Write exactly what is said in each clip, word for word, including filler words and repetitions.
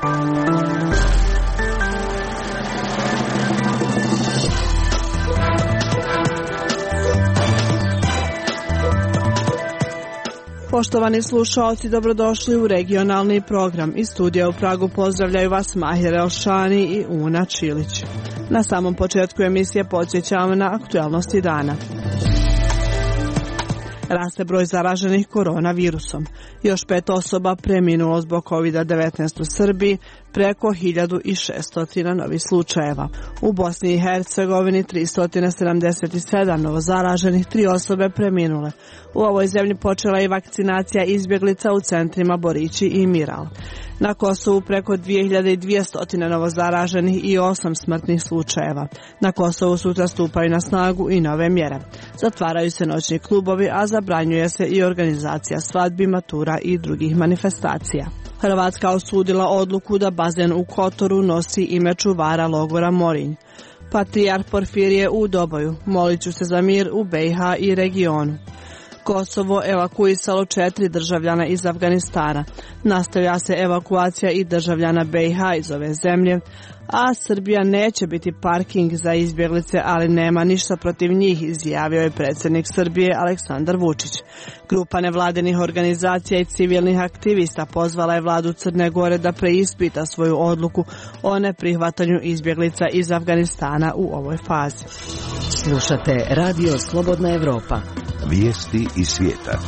Poštovani slušalci, dobrodošli u regionalni program. Iz studija u Pragu pozdravljaju vas Mahir Elšani i Una Čilić. Na samom početku emisije podsjećamo na aktualnosti dana. Raste broj zaraženih koronavirusom. Još pet osoba preminulo zbog kovid devetnaest u Srbiji, preko hiljadu šesto novih slučajeva. U Bosni i Hercegovini tristo sedamdeset sedam novozaraženih, tri osobe preminule. U ovoj zemlji počela je vakcinacija izbjeglica u centrima Borići i Miral. Na Kosovu preko dvije hiljade dvjesto novozaraženih i osam smrtnih slučajeva. Na Kosovu sutra stupaju na snagu i nove mjere. Zatvaraju se noćni klubovi, a zabranjuje se i organizacija svadbi, matura i drugih manifestacija. Hrvatska osudila odluku da bazen u Kotoru nosi ime čuvara logora Morinj. Patrijarh Porfirije u Doboju, molit ću se za mir u B i H i regionu. Kosovo evakuisalo četiri državljana iz Afganistana. Nastavlja se evakuacija i državljana B i H iz ove zemlje, a Srbija neće biti parking za izbjeglice, ali nema ništa protiv njih, izjavio je predsjednik Srbije Aleksandar Vučić. Grupa nevladinih organizacija i civilnih aktivista pozvala je vladu Crne Gore da preispita svoju odluku o neprihvatanju izbjeglica iz Afganistana u ovoj fazi. Slušate Radio Slobodna Evropa. Vijesti iz svijeta.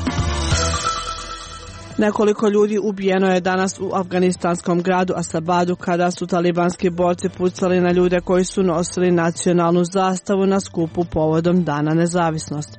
Nekoliko ljudi ubijeno je danas u afganistanskom gradu Asabadu kada su talibanski borci pucali na ljude koji su nosili nacionalnu zastavu na skupu povodom Dana nezavisnosti.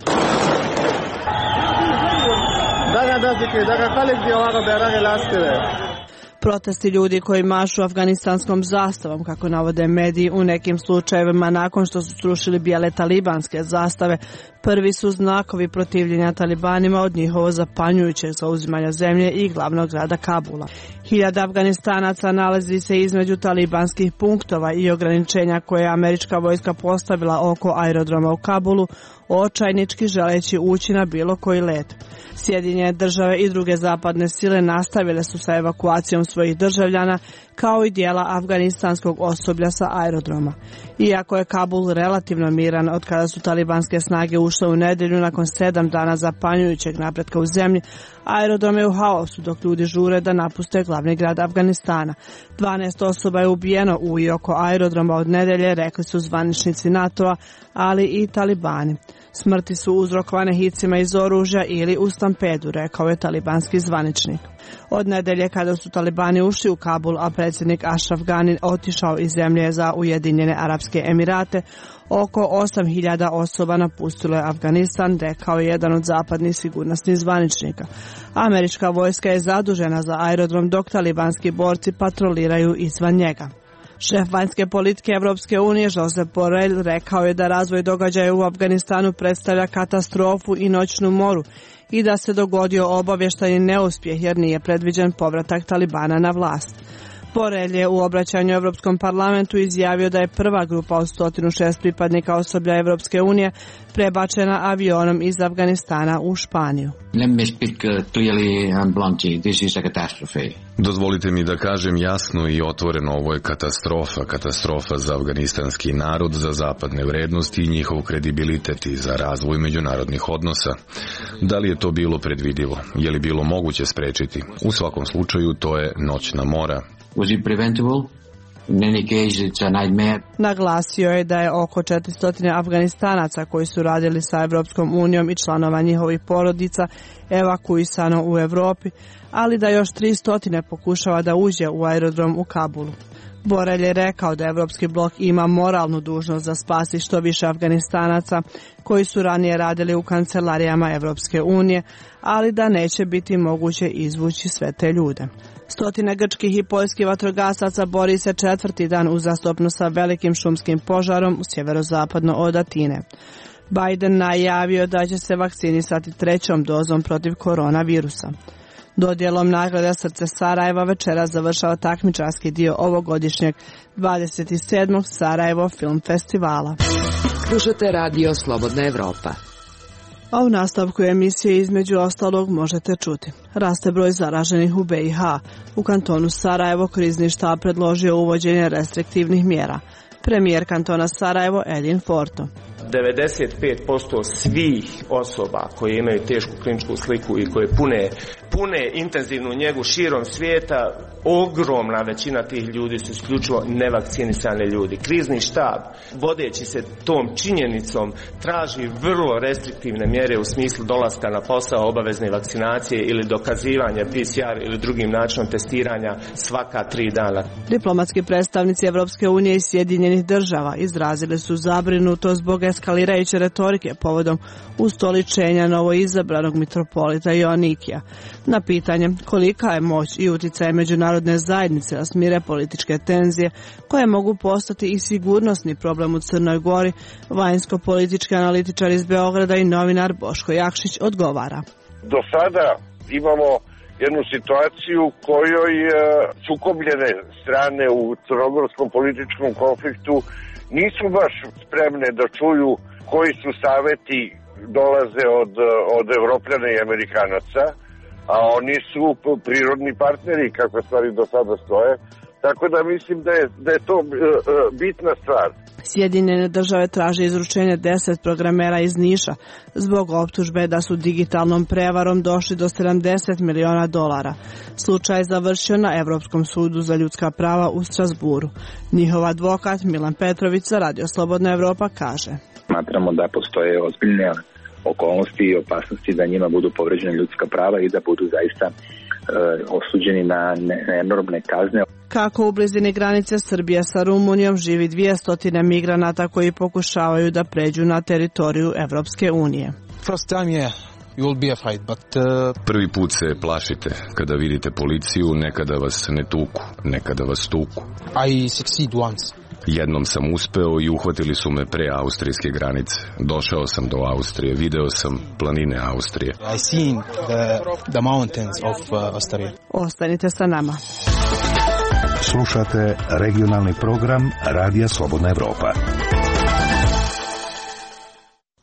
Protesti ljudi koji mašu afganistanskom zastavom, kako navode mediji, u nekim slučajevima nakon što su srušili bijele talibanske zastave, prvi su znakovi protivljenja talibanima od njihovo zapanjujućeg zauzimanja zemlje i glavnog grada Kabula. Hiljada Afganistanaca nalazi se između talibanskih punktova i ograničenja koje je američka vojska postavila oko aerodroma u Kabulu, očajnički želeći ući na bilo koji let. Sjedinjene države i druge zapadne sile nastavile su sa evakuacijom svojih državljana, kao i dijela afganistanskog osoblja sa aerodroma. Iako je Kabul relativno miran od kada su talibanske snage ušle u nedjelju nakon sedam dana zapanjujućeg napretka u zemlji, aerodrom je u haosu dok ljudi žure da napuste glavni grad Afganistana. dvanaest osoba je ubijeno u i oko aerodroma od nedjelje, rekli su zvaničnici NATO-a, ali i talibani. Smrti su uzrokovane hicima iz oružja ili u stampedu, rekao je talibanski zvaničnik. Od nedelje kada su talibani ušli u Kabul, a predsjednik Ashraf Ghani otišao iz zemlje za Ujedinjene Arapske Emirate, oko osam hiljada osoba napustilo je Afganistan, rekao je jedan od zapadnih sigurnosnih zvaničnika. Američka vojska je zadužena za aerodrom dok talibanski borci patroliraju izvan njega. Šef vanjske politike Evropske unije Josep Borrell rekao je da razvoj događaja u Afganistanu predstavlja katastrofu i noćnu moru i da se dogodio obavještajni neuspjeh jer nije predviđen povratak Talibana na vlast. Borrell je u obraćanju Europskom parlamentu izjavio da je prva grupa od sto šest pripadnika osoblja Evropske unije prebačena avionom iz Afganistana u Španiju. Dozvolite mi da kažem jasno i otvoreno, ovo je katastrofa, katastrofa za afganistanski narod, za zapadne vrednosti i njihov kredibilitet i za razvoj međunarodnih odnosa. Da li je to bilo predvidivo? Je li bilo moguće sprečiti? U svakom slučaju to je noćna mora. Was it preventable? In any case, it's a nightmare. Naglasio je da je oko četiristo Afganistanaca koji su radili sa Evropskom unijom i članova njihovih porodica evakuisano u Europi, ali da još tristo pokušava da uđe u aerodrom u Kabulu. Borrell je rekao da Evropski blok ima moralnu dužnost da spasi što više Afganistanaca koji su ranije radili u kancelarijama Evropske unije, ali da neće biti moguće izvući sve te ljude. Stotine grčkih i poljskih vatrogasaca bori se četvrti dan uzastopno sa velikim šumskim požarom u sjeverozapadno od Atine. Biden najavio da će se vakcinisati trećom dozom protiv koronavirusa. Dodjelom nagrada Srce Sarajeva večera završava takmičarski dio ovogodišnjeg dvadeset sedmog Sarajevo film festivala. Slušate Radio Slobodna Evropa. A u nastavku emisije između ostalog možete čuti. Raste broj zaraženih u B i H. U kantonu Sarajevo krizni štab predložio uvođenje restriktivnih mjera. Premijer kantona Sarajevo Edin Forto. devedeset pet posto svih osoba koje imaju tešku kliničku sliku i koje pune, pune intenzivnu njegu širom svijeta, ogromna većina tih ljudi su isključivo nevakcinisani ljudi. Krizni štab, vodeći se tom činjenicom, traži vrlo restriktivne mjere u smislu dolaska na posao, obavezne vakcinacije ili dokazivanja P C R ili drugim načinom testiranja svaka tri dana. Diplomatski predstavnici Evropske unije i Sjedinjenih država izrazili su zabrinutost zbog eskalirajuće retorike povodom ustoličenja novoizabranog mitropolita Joanikija. Na pitanje kolika je moć i utjecaj međunarodne zajednice da smire političke tenzije koje mogu postati i sigurnosni problem u Crnoj Gori, vanjsko-politički analitičar iz Beograda i novinar Boško Jakšić odgovara. Do sada imamo jednu situaciju kojoj sukobljene strane u crnogorskom političkom konfliktu nisu baš spremne da čuju koji su saveti dolaze od, od Evropljana i Amerikanaca, a oni su prirodni partneri kako stvari do sada stoje, tako da mislim da je, da je to bitna stvar. Sjedinjene države traže izručenje deset programera iz Niša zbog optužbe da su digitalnom prevarom došli do sedamdeset miliona dolara. Slučaj je završio na Evropskom sudu za ljudska prava u Strasburu. Njihov advokat Milan Petrović za Radio Slobodna Evropa kaže: Smatramo da postoje ozbiljne okolnosti i opasnosti da njima budu povređene ljudska prava i da budu zaista e, osuđeni na, ne, na enormne kazne. Kako u blizini granice Srbije sa Rumunijom živi dvjesto migranata koji pokušavaju da pređu na teritoriju Evropske unije. First time, yeah. You'll be a fight, but, uh... Prvi put se plašite kada vidite policiju, nekada vas ne tuku, nekada vas tuku. I succeed once. Jednom sam uspeo i uhvatili su me pre austrijske granice. Došao sam do Austrije, video sam planine Austrije. I seen the, the mountains of uh, Austria. Ostanite sa nama. Slušate regionalni program Radija Slobodna Evropa.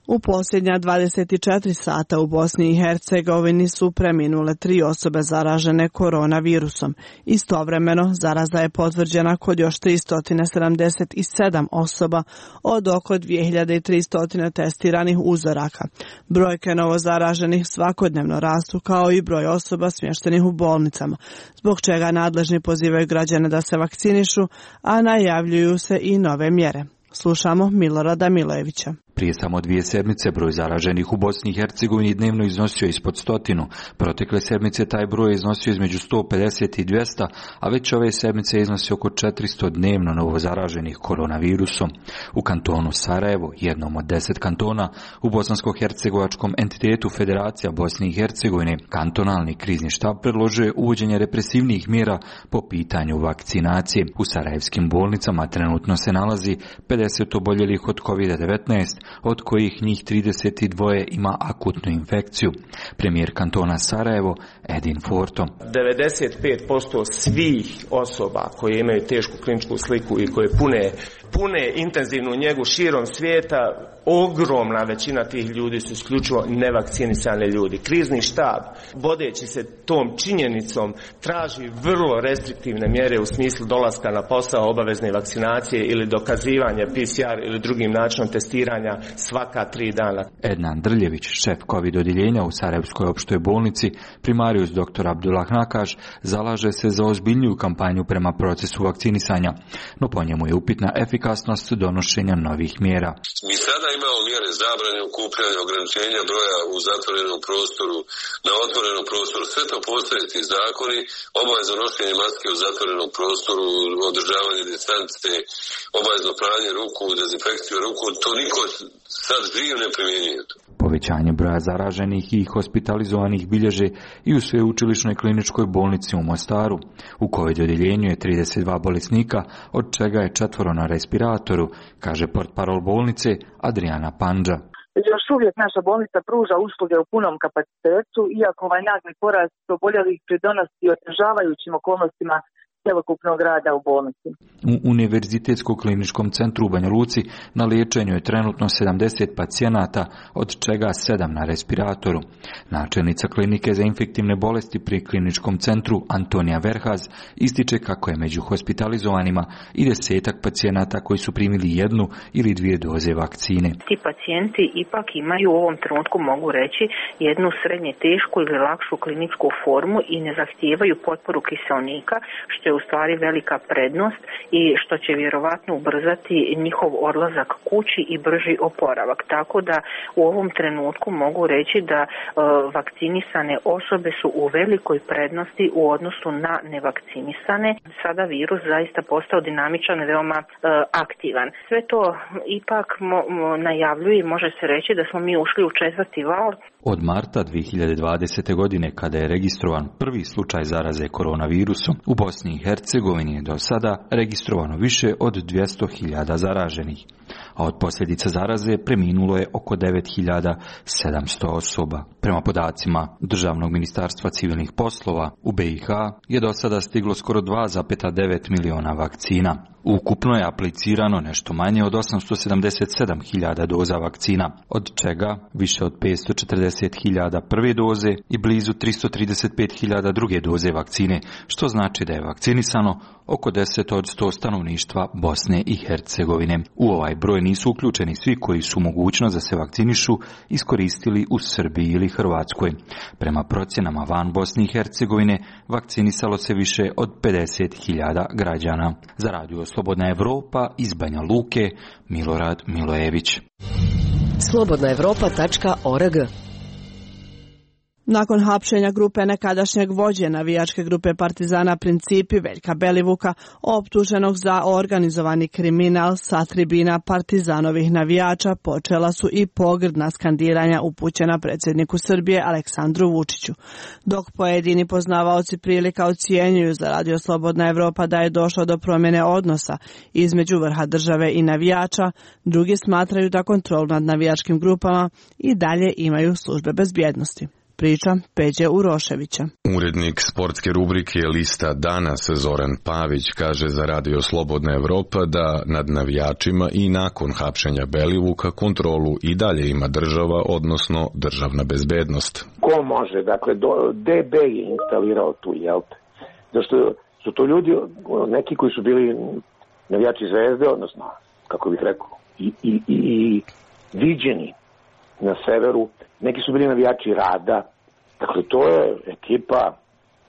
U posljednja dvadeset četiri sata u Bosni i Hercegovini su preminule tri osobe zaražene koronavirusom. Istovremeno, zaraza je potvrđena kod još tristo sedamdeset sedam osoba od oko dvije hiljade tristo testiranih uzoraka. Brojke novozaraženih svakodnevno rastu kao i broj osoba smještenih u bolnicama, zbog čega nadležni pozivaju građane da se vakcinišu, a najavljuju se i nove mjere. Slušamo Milorada Milojevića. Prije samo dvije sedmice broj zaraženih u Bosni i Hercegovini dnevno iznosio ispod stotinu. Protekle sedmice taj broj je iznosio između sto pedeset i dvjesto, a već ove sedmice iznosi oko četiristo dnevno novo zaraženih koronavirusom. U kantonu Sarajevo, jednom od deset kantona, u bosansko-hercegovačkom entitetu Federacija Bosne i Hercegovine, kantonalni krizni štab predložio je uvođenje represivnih mjera po pitanju vakcinacije. U sarajevskim bolnicama trenutno se nalazi pedeset oboljelih od kovid devetnaest, od kojih njih trideset dva ima akutnu infekciju. Premijer kantona Sarajevo Edin Forto. devedeset pet posto svih osoba koje imaju tešku kliničku sliku i koje pune, pune intenzivnu njegu širom svijeta, ogromna većina tih ljudi su isključivo nevakcinisani ljudi. Krizni štab, vodeći se tom činjenicom, traži vrlo restriktivne mjere u smislu dolaska na posao, obavezne vakcinacije ili dokazivanja P C R ili drugim načinom testiranja svaka tri dana. Ednan Drljević, šef COVID odjeljenja u Sarajevskoj opštoj bolnici, primarius doktor Abdullah Nakaš, zalaže se za ozbiljniju kampanju prema procesu vakcinisanja, no po njemu je upitna efikasnost donošenja novih mjera. Mi sada imamo mjere zabrane okupljanja, ograničenja broja u zatvorenom prostoru, na otvorenom prostoru. Sve to postoje ti zakoni, obavezno nošenje maske u zatvorenom prostoru, održavanje distance, obavezno pranje ruku, dezinfekciju ruku. To niko sad živ ne primjenjuje. Povećanje broja zaraženih i hospitalizovanih bilježe i u sveučilišnoj kliničkoj bolnici u Mostaru. U COVID odjeljenju je trideset dva bolesnika, od čega je četvoro na respiratoru, kaže portparol bolnice Adriana Pandža. Još uvijek naša bolnica pruža usluge u punom kapacitetu, iako ovaj nagli porast oboljelih pridonosi otežavajućim okolnostima cjelokupnog rada u bolnici. U Univerzitetskom kliničkom centru u Banja Luci na liječenju je trenutno sedamdeset pacijenata, od čega sedam na respiratoru. Načelnica klinike za infektivne bolesti pri kliničkom centru Antonija Verhaz ističe kako je među hospitalizovanima i desetak pacijenata koji su primili jednu ili dvije doze vakcine. Ti pacijenti ipak imaju u ovom trenutku, mogu reći, jednu srednje tešku ili lakšu kliničku formu i ne zahtijevaju potporu kiseonika, što je u stvari velika prednost i što će vjerovatno ubrzati njihov odlazak kući i brži oporavak. Tako da u ovom trenutku mogu reći da e, vakcinisane osobe su u velikoj prednosti u odnosu na nevakcinisane. Sada virus zaista postao dinamičan i veoma e, aktivan. Sve to ipak mo, mo, najavljuje i može se reći da smo mi ušli u četvrti val. Od marta dvije hiljade dvadesete. godine, kada je registrovan prvi slučaj zaraze koronavirusom, u Bosni i Hercegovini je do sada registrovano više od dvjesto hiljada zaraženih, a od posljedica zaraze preminulo je oko devet hiljada sedamsto osoba. Prema podacima Državnog ministarstva civilnih poslova, u B i H je do sada stiglo skoro dva zarez devet miliona vakcina. Ukupno je aplicirano nešto manje od osamsto sedamdeset sedam hiljada doza vakcina, od čega više od petsto četrdeset hiljada prve doze i blizu tristo trideset pet hiljada druge doze vakcine, što znači da je vakcinisano oko deset od sto stanovništva Bosne i Hercegovine. U ovaj broj nisu uključeni svi koji su mogućnost da se vakcinišu iskoristili u Srbiji ili Hrvatskoj. Prema procjenama van Bosne i Hercegovine vakcinisalo se više od pedeset hiljada građana. Za Radio Slobodna Evropa iz Banja Luke, Milorad Milojević. slobodna evropa tačka org. Nakon hapšenja grupe nekadašnjeg vođe navijačke grupe Partizana Principi Veljka Belivuka, optuženog za organizovani kriminal sa tribina Partizanovih navijača, počela su i pogrdna skandiranja upućena predsjedniku Srbije Aleksandru Vučiću. Dok pojedini poznavaoci prilika ocjenjuju za Radio Slobodna Evropa da je došlo do promjene odnosa između vrha države i navijača, drugi smatraju da kontrolu nad navijačkim grupama i dalje imaju službe bezbjednosti. Priča Peđe Uroševića. Urednik sportske rubrike Lista danas Zoran Pavić kaže za Radio Slobodna Evropa da nad navijačima i nakon hapšenja Belivuka kontrolu i dalje ima država, odnosno državna bezbednost. Ko može? Dakle, D B je instalirao tu, jel? Zašto su to ljudi, neki koji su bili navijači Zvezde, odnosno, kako bih rekao, i, i, i, i viđeni na severu, neki su bili navijači Rada. Dakle, to je ekipa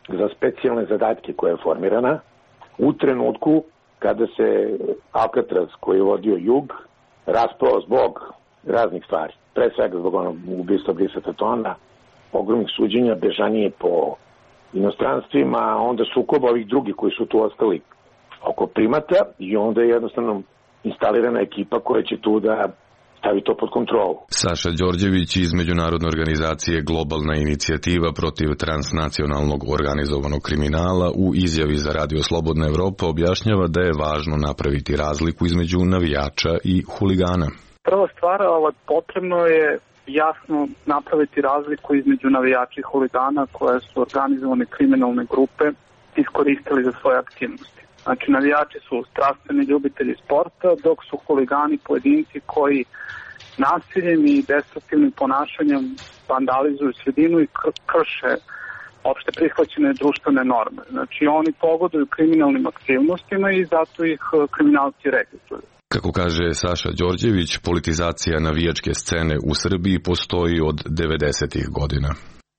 za specijalne zadatke koja je formirana u trenutku kada se Alcatraz, koji je vodio jug, raspao zbog raznih stvari. Pre svega zbog onog ubistva Brisa Tatona, ogromnih suđenja, bežanije po inostranstvima, onda sukoba ovih drugih koji su tu ostali oko primata i onda je jednostavno instalirana ekipa koja će tu da stavi to pod kontrolu. Saša Đorđević iz međunarodne organizacije Globalna inicijativa protiv transnacionalnog organizovanog kriminala u izjavi za Radio Slobodna Evropa objašnjava da je važno napraviti razliku između navijača i huligana. Prva stvar, potrebno je jasno napraviti razliku između navijača i huligana koje su organizovane kriminalne grupe iskoristili za svoje aktivnosti. Znači, navijači su strastveni ljubitelji sporta, dok su huligani pojedinci koji nasiljem i destruktivnim ponašanjem vandalizuju sredinu i krše opšte prihvaćene društvene norme. Znači, oni pogoduju kriminalnim aktivnostima i zato ih kriminalci registruju. Kako kaže Saša Đorđević, politizacija navijačke scene u Srbiji postoji od devedesetih godina.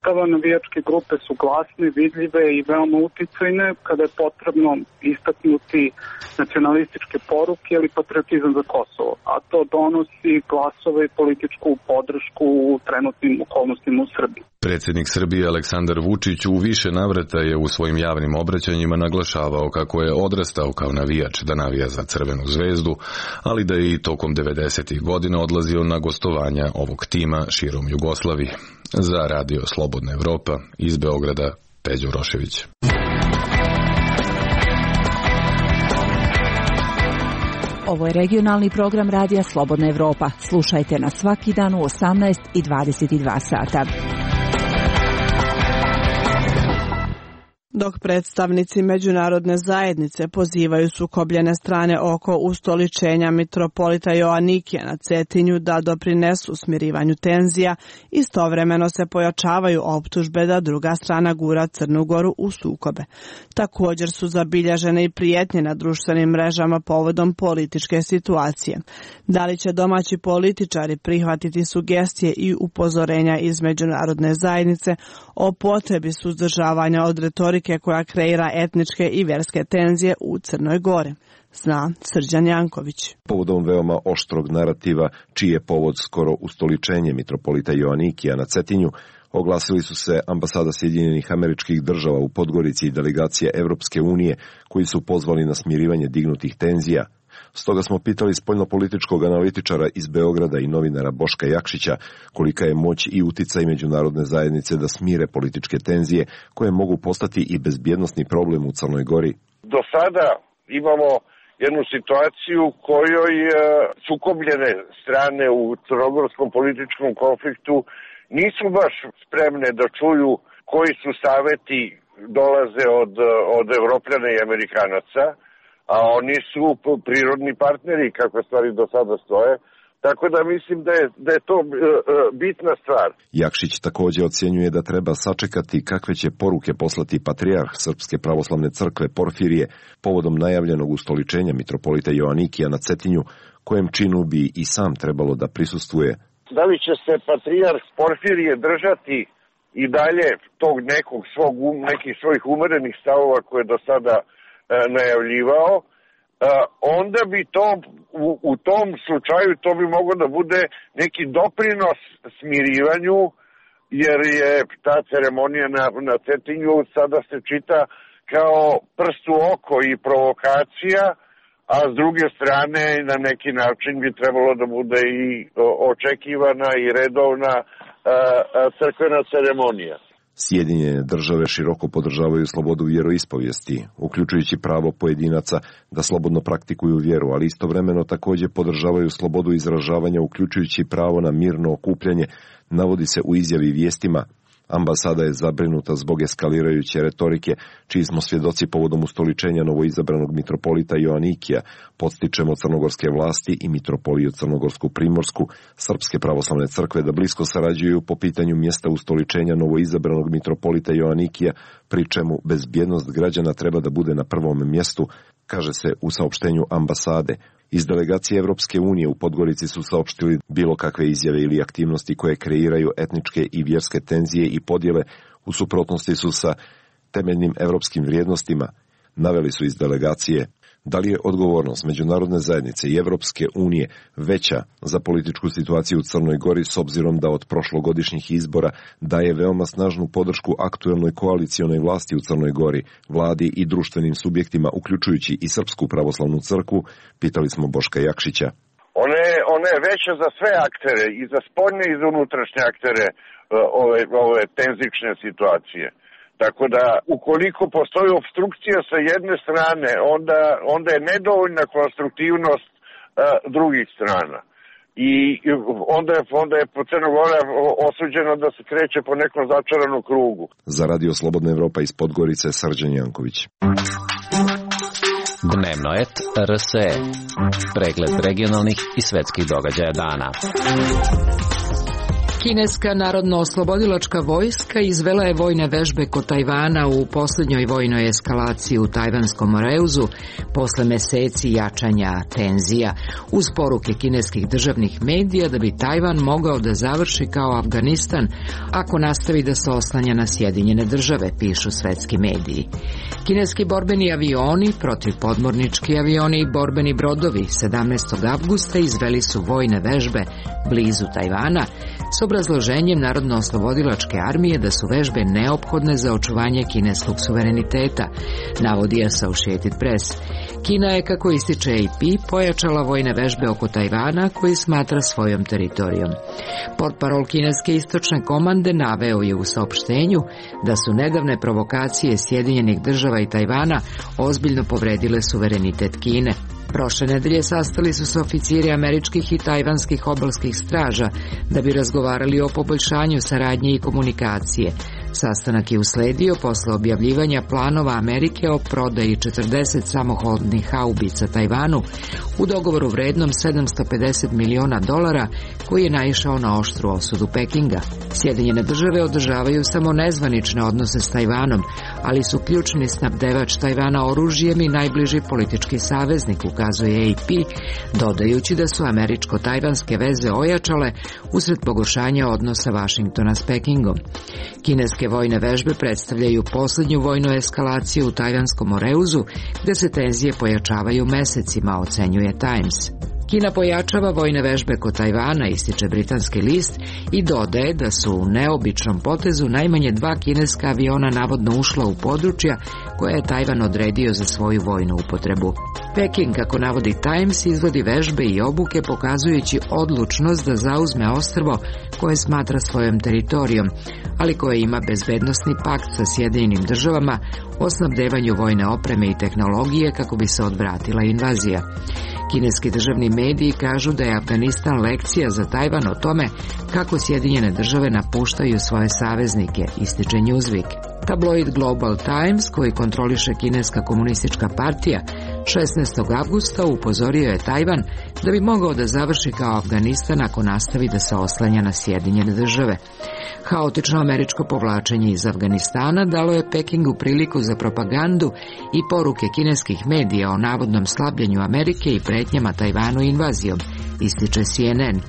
Kada navijačke grupe su glasne, vidljive i veoma uticajne, kada je potrebno istaknuti nacionalističke poruke ili patriotizam za Kosovo, a to donosi glasove i političku podršku u trenutnim okolnostima u Srbiji. Predsjednik Srbije Aleksandar Vučić u više navrata je u svojim javnim obraćanjima naglašavao kako je odrastao kao navijač da navija za Crvenu zvezdu, ali da je i tokom devedesetih godina odlazio na gostovanja ovog tima širom Jugoslavije. Za Radio Slobodna Evropa iz Beograda, Peđa Urošević. Ovo je regionalni program Radija Slobodna Evropa. Slušajte nas svaki dan u osamnaest i dvadeset dva sata. Dok predstavnici međunarodne zajednice pozivaju sukobljene strane oko ustoličenja mitropolita Joanikija na Cetinju da doprinesu smirivanju tenzija, istovremeno se pojačavaju optužbe da druga strana gura Crnu Goru u sukobe. Također su zabilježene i prijetnje na društvenim mrežama povodom političke situacije. Da li će domaći političari prihvatiti sugestije i upozorenja iz međunarodne zajednice o potrebi suzdržavanja od retorike koja kreira etničke i vjerske tenzije u Crnoj Gori? Zna Srđan Janković. Povodom veoma oštrog narativa, čiji je povod skoro ustoličenje mitropolita Joanikija na Cetinju, oglasili su se ambasada Sjedinjenih Američkih Država u Podgorici i delegacija Evropske unije, koji su pozvali na smirivanje dignutih tenzija. Stoga smo pitali spoljnopolitičkog analitičara iz Beograda i novinara Boška Jakšića kolika je moć i uticaj međunarodne zajednice da smire političke tenzije koje mogu postati i bezbjednosni problem u Crnoj Gori. Do sada imamo jednu situaciju kojoj sukobljene strane u crnogorskom političkom konfliktu nisu baš spremne da čuju koji su saveti dolaze od, od Evropljana i Amerikanaca, a oni su prirodni partneri kako stvari do sada stoje, tako da mislim da je, da je to e, bitna stvar. Jakšić također ocjenjuje da treba sačekati kakve će poruke poslati patrijarh Srpske pravoslavne crkve Porfirije povodom najavljenog ustoličenja mitropolita Joanikija na Cetinju, kojem činu bi i sam trebalo da prisustvuje. Da li će se patrijarh Porfirije držati i dalje tog nekog svog, nekih svojih umerenih stavova koje do sada najavljivao, onda bi to u, u tom slučaju to bi moglo da bude neki doprinos smirivanju, jer je ta ceremonija na, na Cetinju sada se čita kao prst u oko i provokacija, a s druge strane na neki način bi trebalo da bude i očekivana i redovna a, a, crkvena ceremonija. Sjedinjene države široko podržavaju slobodu vjeroispovijesti, uključujući pravo pojedinaca da slobodno praktikuju vjeru, ali istovremeno također podržavaju slobodu izražavanja, uključujući pravo na mirno okupljanje, navodi se u izjavi vijestima. Ambasada je zabrinuta zbog eskalirajuće retorike, čiji smo svjedoci povodom ustoličenja novoizabranog mitropolita Joanikija. Podstičemo crnogorske vlasti i mitropoliju Crnogorsku Primorsku, Srpske pravoslavne crkve da blisko sarađuju po pitanju mjesta ustoličenja novoizabranog mitropolita Joanikija, pri čemu bezbjednost građana treba da bude na prvom mjestu, kaže se u saopštenju ambasade. Iz delegacije Evropske unije u Podgorici su saopštili bilo kakve izjave ili aktivnosti koje kreiraju etničke i vjerske tenzije i podjele u suprotnosti su sa temeljnim evropskim vrijednostima, naveli su iz delegacije. Da li je odgovornost međunarodne zajednice i Evropske unije veća za političku situaciju u Crnoj Gori s obzirom da od prošlogodišnjih izbora daje veoma snažnu podršku aktuelnoj koalicionoj vlasti u Crnoj Gori, vladi i društvenim subjektima, uključujući i Srpsku pravoslavnu crkvu, pitali smo Boška Jakšića. Ona je, ona je veća za sve aktere, i za spoljne i za unutrašnje aktere ove, ove tenzične situacije. Tako da, ukoliko postoji opstrukcija sa jedne strane, onda, onda je nedovoljna konstruktivnost a, drugih strana. I onda je, onda je Crna Gora osuđena da se kreće po nekom začaranom krugu. Za Radio Slobodna Evropa iz Podgorice, Srđan Janković. Dnevno et R S E. Pregled regionalnih i svetskih događaja dana. Kineska narodno-oslobodilačka vojska izvela je vojne vežbe kod Tajvana u posljednjoj vojnoj eskalaciji u Tajvanskom Moreuzu posle meseci jačanja tenzija, uz poruke kineskih državnih medija da bi Tajvan mogao da završi kao Afganistan ako nastavi da se oslanja na Sjedinjene države, pišu svetski mediji. Kineski borbeni avioni, protivpodmornički avioni i borbeni brodovi sedamnaestog avgusta izveli su vojne vežbe blizu Tajvana s obrazloženjem Narodno-oslobodilačke armije da su vežbe neophodne za očuvanje kineskog suvereniteta, navodi Associated Press. Kina je, kako ističe A P, pojačala vojne vežbe oko Tajvana koji smatra svojom teritorijom. Portparol kineske istočne komande naveo je u saopštenju da su nedavne provokacije Sjedinjenih država i Tajvana ozbiljno povredile suverenitet Kine. Prošle nedelje sastali su se oficiri američkih i tajvanskih obalskih straža da bi razgovarali o poboljšanju saradnje i komunikacije. Sastanak je usledio posle objavljivanja planova Amerike o prodaji četrdeset samohodnih haubica Tajvanu u dogovoru vrednom sedamsto pedeset miliona dolara koji je naišao na oštru osudu Pekinga. Sjedinjene države održavaju samo nezvanične odnose s Tajvanom, ali su ključni snabdevač Tajvana oružjem i najbliži politički saveznik, ukazuje A P, dodajući da su američko-tajvanske veze ojačale usred pogoršanja odnosa Vašingtona s Pekingom. Kineske vojne vežbe predstavljaju posljednju vojnu eskalaciju u Tajvanskom Moreuzu, gde se tenzije pojačavaju mesecima, ocenjuje Times. Kina pojačava vojne vežbe kod Tajvana, ističe britanski list, i dodaje da su u neobičnom potezu najmanje dva kineska aviona navodno ušla u područja koje je Tajvan odredio za svoju vojnu upotrebu. Peking, kako navodi Times, izvodi vežbe i obuke pokazujući odlučnost da zauzme ostrvo koje smatra svojom teritorijom, ali koje ima bezbednosni pakt sa Sjedinjenim državama o snabdevanju vojne opreme i tehnologije kako bi se odvratila invazija. Kineski državni mediji kažu da je Afganistan lekcija za Tajvan o tome kako Sjedinjene države napuštaju svoje saveznike, ističe Newsweek. Tabloid Global Times, koji kontroliše Kineska komunistička partija, šesnaestog avgusta upozorio je Tajvan da bi mogao da završi kao Afganistan ako nastavi da se oslanja na Sjedinjene države. Haotično američko povlačenje iz Afganistana dalo je Pekingu priliku za propagandu i poruke kineskih medija o navodnom slabljenju Amerike i pretnjama Tajvanu invazijom, ističe C N N.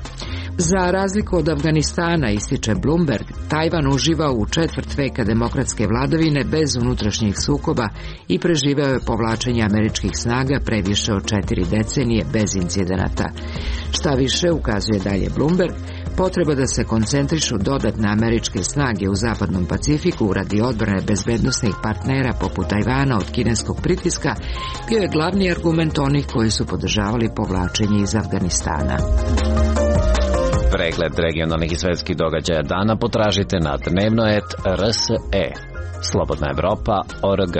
Za razliku od Afganistana, ističe Bloomberg, Tajvan uživa u četvrt veka demokratske vladavine bez unutrašnjih sukoba i preživeo je povlačenje američkih snaga pre više od četiri decenije bez incidenata. Šta više, ukazuje dalje Bloomberg, potreba da se koncentrišu dodatne američke snage u zapadnom Pacifiku radi odbrane bezbednosnih partnera poput Tajvana od kineskog pritiska bio je glavni argument onih koji su podržavali povlačenje iz Afganistana. Pregled regionalnih i svetskih događaja dana potražite na dnevnoet R S E. Slobodna Evropa O R G.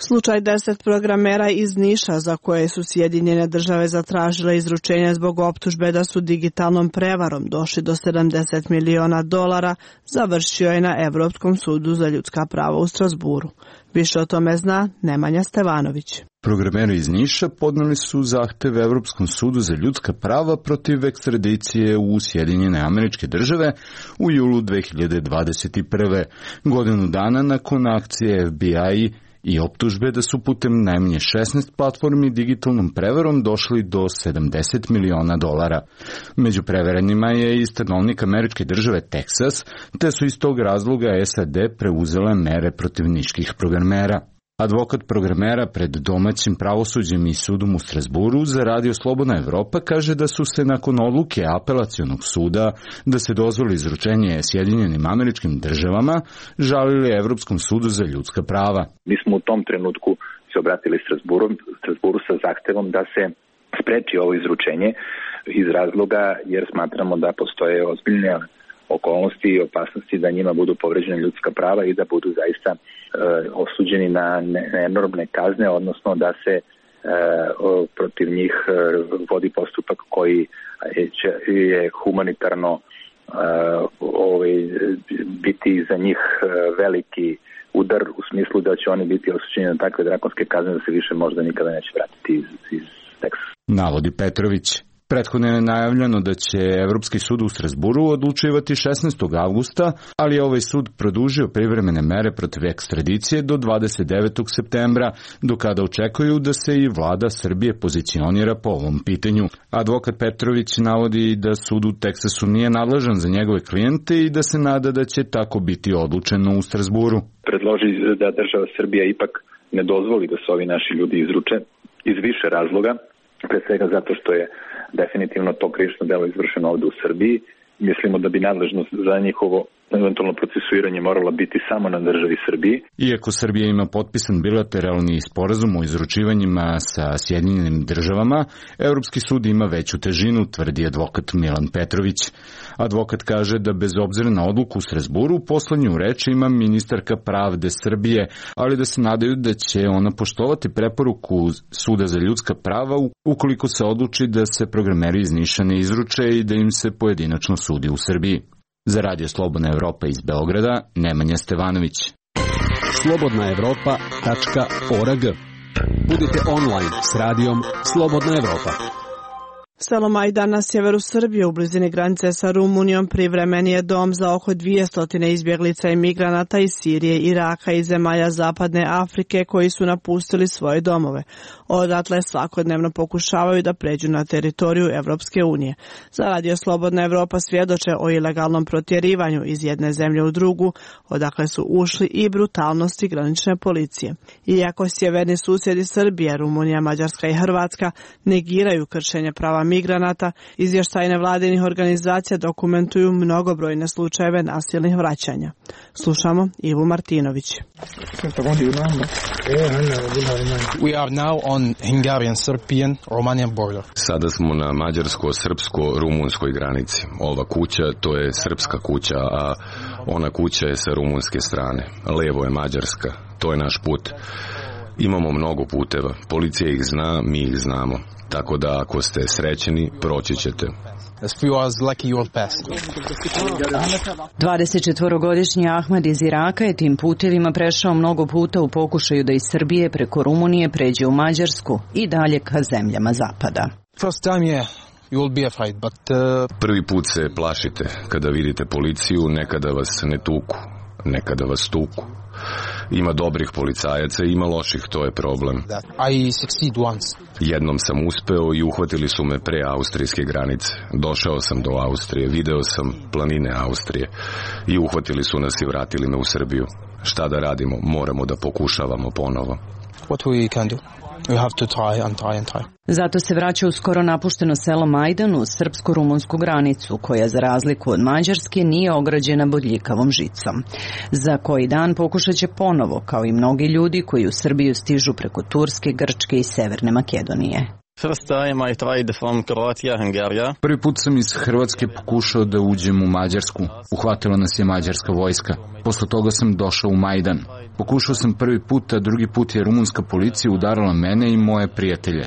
Slučaj deset programera iz Niša za koje su Sjedinjene države zatražile izručenje zbog optužbe da su digitalnom prevarom došli do sedamdeset miliona dolara završio je na Evropskom sudu za ljudska prava u Strasburu. Više o tome zna Nemanja Stevanović. Programeri iz Niša podneli su zahtev Evropskom sudu za ljudska prava protiv ekstradicije u Sjedinjene Američke Države u julu dve hiljade dvadeset prve. Godinu dana nakon akcije F B I i optužbe da su putem najmanje šesnaest platformi digitalnom prevarom došli do sedamdeset miliona dolara. Među preverenima je i stanovnik Američke Države Teksas, te su iz tog razloga S A D preuzele mere protiv niških programera. Advokat programera pred domaćim pravosuđem i sudom u Strasburu za Radio Slobodna Evropa kaže da su se nakon odluke apelacionog suda da se dozvoli izručenje Sjedinjenim Američkim Državama žalili Evropskom sudu za ljudska prava. Mi smo u tom trenutku se obratili Strasburu, Strasburu sa zahtevom da se spreči ovo izručenje iz razloga jer smatramo da postoje ozbiljne okolnosti i opasnosti da njima budu povređene ljudska prava i da budu zaista e, osuđeni na enormne kazne, odnosno da se e, o, protiv njih e, vodi postupak koji će, je humanitarno e, ovaj, biti za njih veliki udar u smislu da će oni biti osuđeni na takve drakonske kazne da se više možda nikada neće vratiti iz, iz Teksasa. Navodi Petrović. Prethodno je najavljeno da će Evropski sud u Strasburu odlučivati šesnaestog avgusta, ali je ovaj sud produžio privremene mere protiv ekstradicije do dvadeset devetog septembra, do kada očekuju da se i vlada Srbije pozicionira po ovom pitanju. Advokat Petrović navodi da sud u Teksasu nije nadležan za njegove klijente i da se nada da će tako biti odlučeno u Strasburu. Predloži da država Srbija ipak ne dozvoli da se ovi naši ljudi izruče iz više razloga, pre svega zato što je definitivno to krivično delo izvršeno ovde u Srbiji. Mislimo da bi nadležnost za njihovo eventualno procesuiranje morala biti samo na državi Srbiji. Iako Srbija ima potpisan bilateralni sporazum o izručivanjima sa Sjedinjenim državama, Evropski sud ima veću težinu, tvrdi advokat Milan Petrović. Advokat kaže da bez obzira na odluku u Strasburu, poslednju reč ima ministarka pravde Srbije, ali da se nadaju da će ona poštovati preporuku Suda za ljudska prava ukoliko se odluči da se programeri iz Niša ne izruče i da im se pojedinačno sudi u Srbiji. Za Radio Slobodna Evropa iz Beograda, Nemanja Stevanović. slobodna evropa tačka org. Budite online s radijom Slobodna Evropa. Selo Majdan na sjeveru Srbije u blizini granice sa Rumunijom privremeni je dom za oko dvjesto izbjeglica i migranata iz Sirije, Iraka i zemalja Zapadne Afrike koji su napustili svoje domove. Odatle svakodnevno pokušavaju da pređu na teritoriju Evropske unije. Za Radio Slobodna Evropa svjedoče o ilegalnom protjerivanju iz jedne zemlje u drugu, odakle su ušli i brutalnosti granične policije. Iako sjeverni susjedi Srbije, Rumunija, Mađarska i Hrvatska negiraju kršenje prava migranata, izvještaji nevladinih organizacija dokumentuju mnogobrojne slučajeve nasilnih vraćanja. Slušamo Ivu Martinović. We are now on Hungarian-Serbian Romanian border. Sada smo na mađarsko-srpsko-rumunskoj granici. Ova kuća, to je srpska kuća, a ona kuća je sa rumunske strane. Levo je mađarska. To je naš put. Imamo mnogo puteva. Policija ih zna, mi ih znamo. Tako da ako ste srećeni, proći ćete. dvadesetčetvorogodišnji Ahmed iz Iraka je tim putevima prešao mnogo puta u pokušaju da iz Srbije preko Rumunije pređe u Mađarsku i dalje ka zemljama zapada. Prvi put se plašite kada vidite policiju, nekada vas ne tuku, nekada vas tuku. Ima dobrih policajaca i ima loših, to je problem. Jednom sam uspeo i uhvatili su me pre austrijske granice. Došao sam do Austrije, video sam planine Austrije i uhvatili su nas i vratili me u Srbiju. Šta da radimo? Moramo da pokušavamo ponovo. What we can do? We have to try and try and try. Zato se vraća u skoro napušteno selo Majdan uz srpsko-rumunsku granicu, koja za razliku od Mađarske nije ograđena bodljikavom žicom. Za koji dan pokušat će ponovo, kao i mnogi ljudi koji u Srbiju stižu preko Turske, Grčke i Severne Makedonije. Prvi put sam iz Hrvatske pokušao da uđem u Mađarsku. Uhvatila nas je mađarska vojska. Posle toga sam došao u Majdan. Pokušao sam prvi put, a drugi put je rumunska policija udarala mene i moje prijatelje.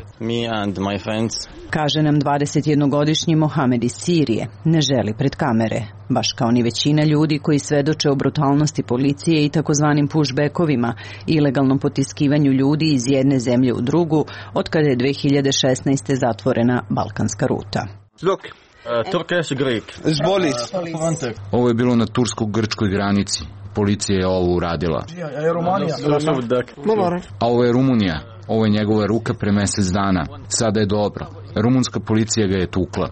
Kaže nam dvadesetjednogodišnji Mohamed iz Sirije. Ne želi pred kamere, baš kao ni većina ljudi koji svedoče o brutalnosti policije i takozvanim pushbackovima, ilegalnom potiskivanju ljudi iz jedne zemlje u drugu, od kada je dve hiljade šesnaeste. zatvorena balkanska ruta. Look. Ovo je bilo na tursko-grčkoj granici. Policija je ovo uradila. A ovo je Rumunija. Ovo je njegova ruka pre mjesec dana. Sada je dobro. Rumunska policija ga je tukla.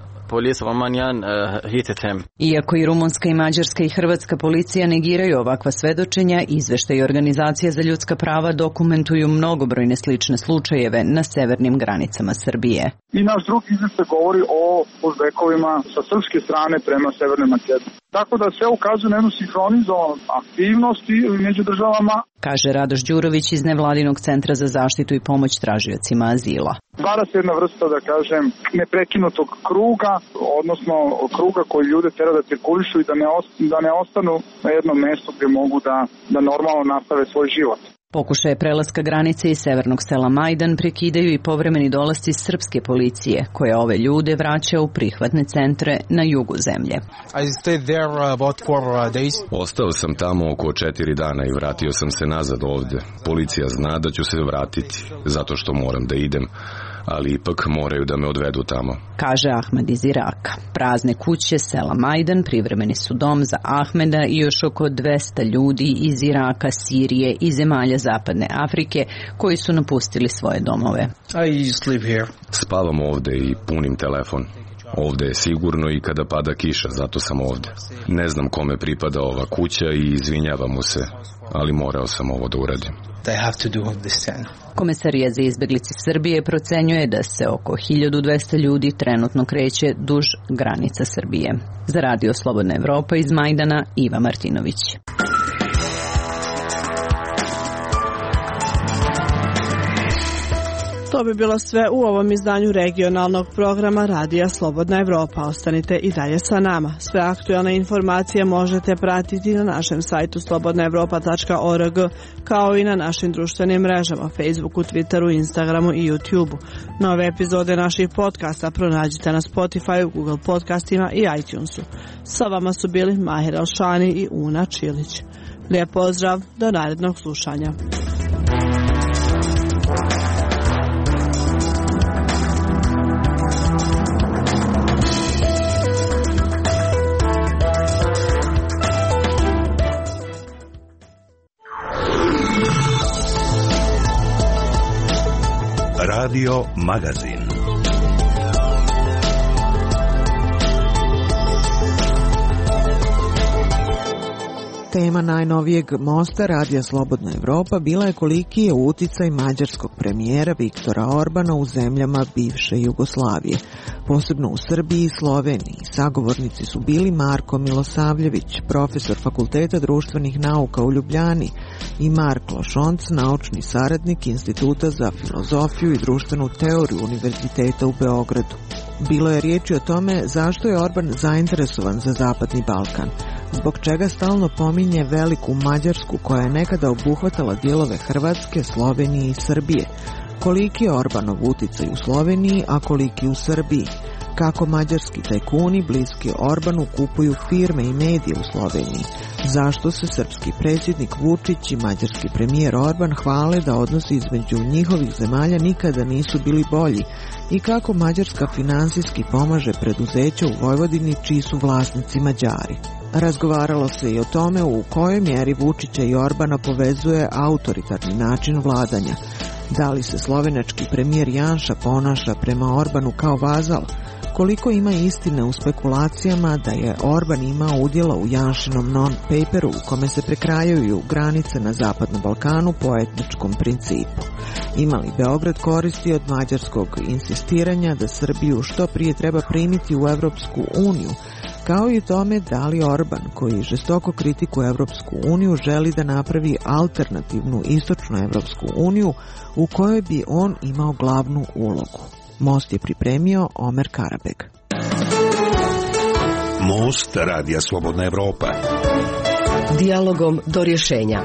Iako i rumunska i mađarska i hrvatska policija negiraju ovakva svedočenja, izveštaji organizacija za ljudska prava dokumentuju mnogobrojne slične slučajeve na severnim granicama Srbije. I naš drugi izveštaj govori o pushbackovima sa srpske strane prema Severnoj Makedoniji. Tako da sve ukazuje na jednu sinhronizovanost aktivnosti među državama. Kaže Radoš Đurović iz nevladinog centra za zaštitu i pomoć tražiocima azila. Stvara se jedna vrsta, da kažem, neprekinutog kruga, odnosno kruga koji ljude tera da cirkulišu i da ne, da ne ostanu na jednom mjestu gdje mogu da, da normalno nastave svoj život. Pokušaje prelaska granice iz severnog sela Majdan prekidaju i povremeni dolasci srpske policije, koja ove ljude vraća u prihvatne centre na jugu zemlje. Ostao sam tamo oko četiri dana i vratio sam se nazad ovde. Policija zna da ću se vratiti, zato što moram da idem, ali ipak moraju da me odvedu tamo. Kaže Ahmed iz Iraka. Prazne kuće sela Majdan privremeni su dom za Ahmeda i još oko dvesta ljudi iz Iraka, Sirije i zemalja Zapadne Afrike koji su napustili svoje domove. Spavam ovde i punim telefon. Ovde je sigurno i kada pada kiša, zato sam ovde. Ne znam kome pripada ova kuća i izvinjavam mu se, ali morao sam ovo da uradim. Komesarija za izbjeglice Srbije procenjuje da se oko hiljadu dvesta ljudi trenutno kreće duž granica Srbije. Za Radio Slobodna Evropa iz Majdana, Iva Martinović. To bi bilo sve u ovom izdanju regionalnog programa Radija Slobodna Evropa. Ostanite i dalje sa nama. Sve aktualne informacije možete pratiti na našem sajtu slobodna evropa tačka org, kao i na našim društvenim mrežama Facebooku, Twitteru, Instagramu i YouTubeu. Nove epizode naših podcasta pronađite na Spotify, Google podcastima i iTunesu. Sa vama su bili Mahir Alšani i Una Čilić. Lijep pozdrav, do narednog slušanja. Radio Magazin. Tema najnovijeg mosta Radija Slobodna Evropa bila je koliki je uticaj mađarskog premijera Viktora Orbana u zemljama bivše Jugoslavije, posebno u Srbiji i Sloveniji. Sagovornici su bili Marko Milosavljević, profesor Fakulteta društvenih nauka u Ljubljani, i Mark Lošonc, naučni saradnik Instituta za filozofiju i društvenu teoriju Univerziteta u Beogradu. Bilo je riječi o tome zašto je Orban zainteresovan za Zapadni Balkan, zbog čega stalno pominje veliku Mađarsku koja je nekada obuhvatala dijelove Hrvatske, Slovenije i Srbije, koliki je Orbanov uticaj u Sloveniji, a koliki u Srbiji, kako mađarski tajkuni bliski Orbanu kupuju firme i medije u Sloveniji, zašto se srpski predsjednik Vučić i mađarski premijer Orban hvale da odnosi između njihovih zemalja nikada nisu bili bolji i kako Mađarska finansijski pomaže preduzeća u Vojvodini čiji su vlasnici Mađari. Razgovaralo se i o tome u kojoj mjeri Vučića i Orbana povezuje autoritarni način vladanja. Da li se slovenački premijer Janša ponaša prema Orbanu kao vazal? Koliko ima istine u spekulacijama da je Orban imao udjela u Janšinom non-paperu u kome se prekrajaju granice na Zapadnom Balkanu po etničkom principu? Ima li Beograd koristi od mađarskog insistiranja da Srbiju što prije treba primiti u Evropsku uniju, kao i tome da li Orban, koji žestoko kritikuje Evropsku uniju, želi da napravi alternativnu istočnu Evropsku uniju u kojoj bi on imao glavnu ulogu. Most je pripremio Omer Karabeg. Most Radija Slobodna Evropa. Dijalogom do rješenja.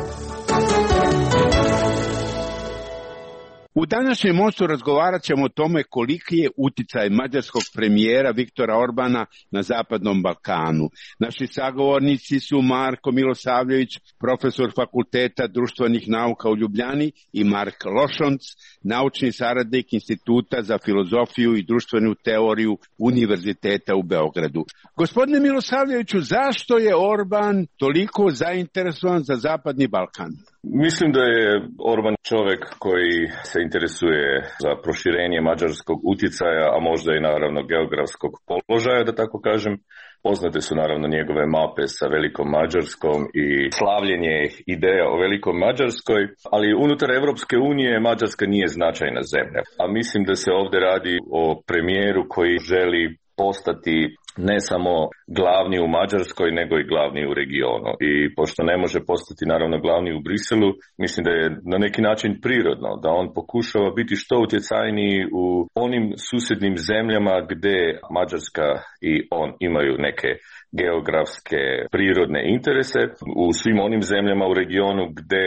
U današnjem mostu razgovarat ćemo o tome koliki je uticaj mađarskog premijera Viktora Orbana na Zapadnom Balkanu. Naši sagovornici su Marko Milosavljević, profesor Fakulteta društvenih nauka u Ljubljani, i Mark Lošonc, naučni saradnik Instituta za filozofiju i društvenu teoriju Univerziteta u Beogradu. Gospodine Milosavljeviću, zašto je Orban toliko zainteresovan za Zapadni Balkan? Mislim da je Orban čovjek koji se interesuje za proširenje mađarskog utjecaja, a možda i naravno geografskog položaja, da tako kažem. Poznate su naravno njegove mape sa Velikom Mađarskom i slavljenje ideja o Velikom Mađarskoj, ali unutar Evropske unije Mađarska nije značajna zemlja. A mislim da se ovdje radi o premijeru koji želi postati ne samo glavni u Mađarskoj, nego i glavni u regionu. I pošto ne može postati naravno glavni u Briselu, mislim da je na neki način prirodno da on pokušava biti što utjecajniji u onim susjednim zemljama gdje Mađarska i on imaju neke geografske prirodne interese, u svim onim zemljama u regionu gdje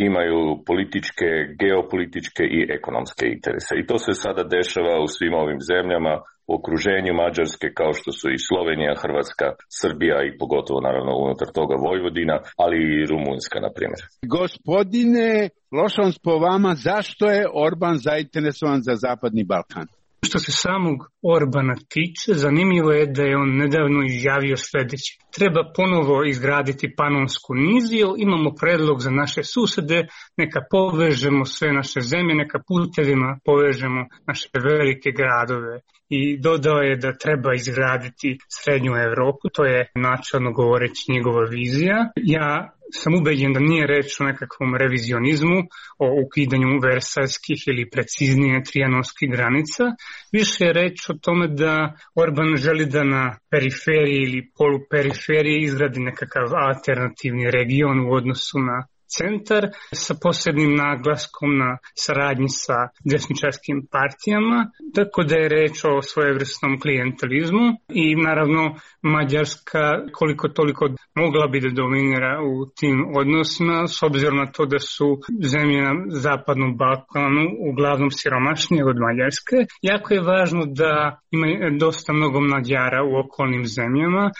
imaju političke, geopolitičke i ekonomske interese. I to se sada dešava u svim ovim zemljama u okruženju Mađarske, kao što su i Slovenija, Hrvatska, Srbija i pogotovo naravno unutar toga Vojvodina, ali i Rumunjska, na primjer. Gospodine Lošonc, po vama, zašto je Orban zainteresovan za Zapadni Balkan? Što se samog Orbana tiče, zanimljivo je da je on nedavno izjavio sljedeće. Treba ponovo izgraditi Panonsku niziju, imamo predlog za naše susede, neka povežemo sve naše zemlje, neka putevima povežemo naše velike gradove. I dodao je da treba izgraditi Srednju Europu, to je načelno govoreći njegova vizija. Ja sam ubeđen da nije reč o nekakvom revizionizmu, o ukidanju versajskih ili preciznije trijanonskih granica. Više je reč o tome da Orban želi da na periferiji ili poluperiferiji izgradi nekakav alternativni region u odnosu na centar sa posebnim naglaskom na saradnji sa desničarskim partijama, tako da je reč o svojevrsnom klijentelizmu i naravno Mađarska koliko toliko mogla bi da dominira u tim odnosima s obzirom na to da su zemlje na zapadnom Balkanu uglavnom siromašnije od Mađarske. Jako je važno da ima dosta mnogo Mađara u okolnim zemljama,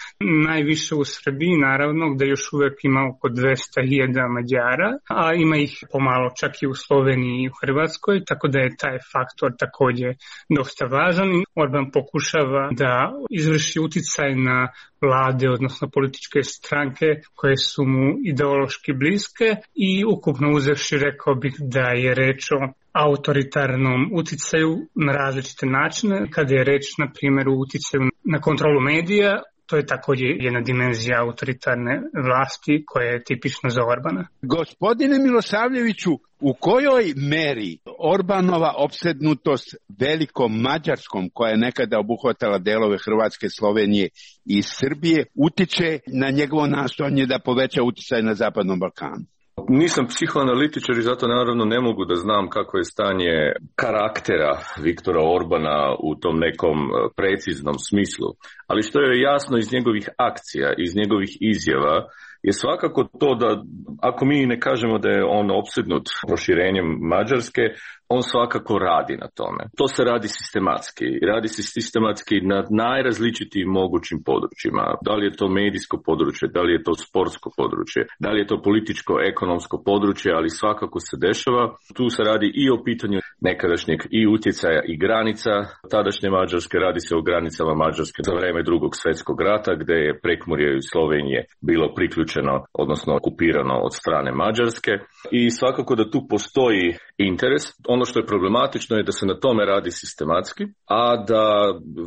najviše u Srbiji naravno gde još uvek ima oko dvesta hiljada Mađara, a ima ih pomalo čak i u Sloveniji i u Hrvatskoj, tako da je taj faktor takođe dosta važan. Orban pokušava da izvrši uticaj na vlade, odnosno političke stranke koje su mu ideološki bliske i ukupno uzevši rekao bih da je reč o autoritarnom uticaju na različite načine. Kada je reč, na primjer, u uticaju na kontrolu medija, to je također jedna dimenzija autoritarne vlasti koja je tipična za Orbana. Gospodine Milosavljeviću, u kojoj meri Orbanova opsednutost velikom Mađarskom, koja je nekada obuhvatala delove Hrvatske, Slovenije i Srbije, utiče na njegovo nastojanje da poveća uticaj na Zapadnom Balkanu? Nisam psihoanalitičar i zato naravno ne mogu da znam kako je stanje karaktera Viktora Orbana u tom nekom preciznom smislu. Ali što je jasno iz njegovih akcija, iz njegovih izjava, je svakako to da ako mi ne kažemo da je on opsednut proširenjem Mađarske, on svakako radi na tome. To se radi sistematski. Radi se sistematski na najrazličitijim mogućim područjima. Da li je to medijsko područje, da li je to sportsko područje, da li je to političko-ekonomsko područje, ali svakako se dešava. Tu se radi i o pitanju nekadašnjeg i utjecaja i granica tadašnje Mađarske. Radi se o granicama Mađarske za vreme Drugog svjetskog rata, gdje je Prekmurje i Slovenije bilo priključeno, odnosno okupirano od strane Mađarske. I svakako da tu postoji interes. Ono što je problematično je da se na tome radi sistematski, a da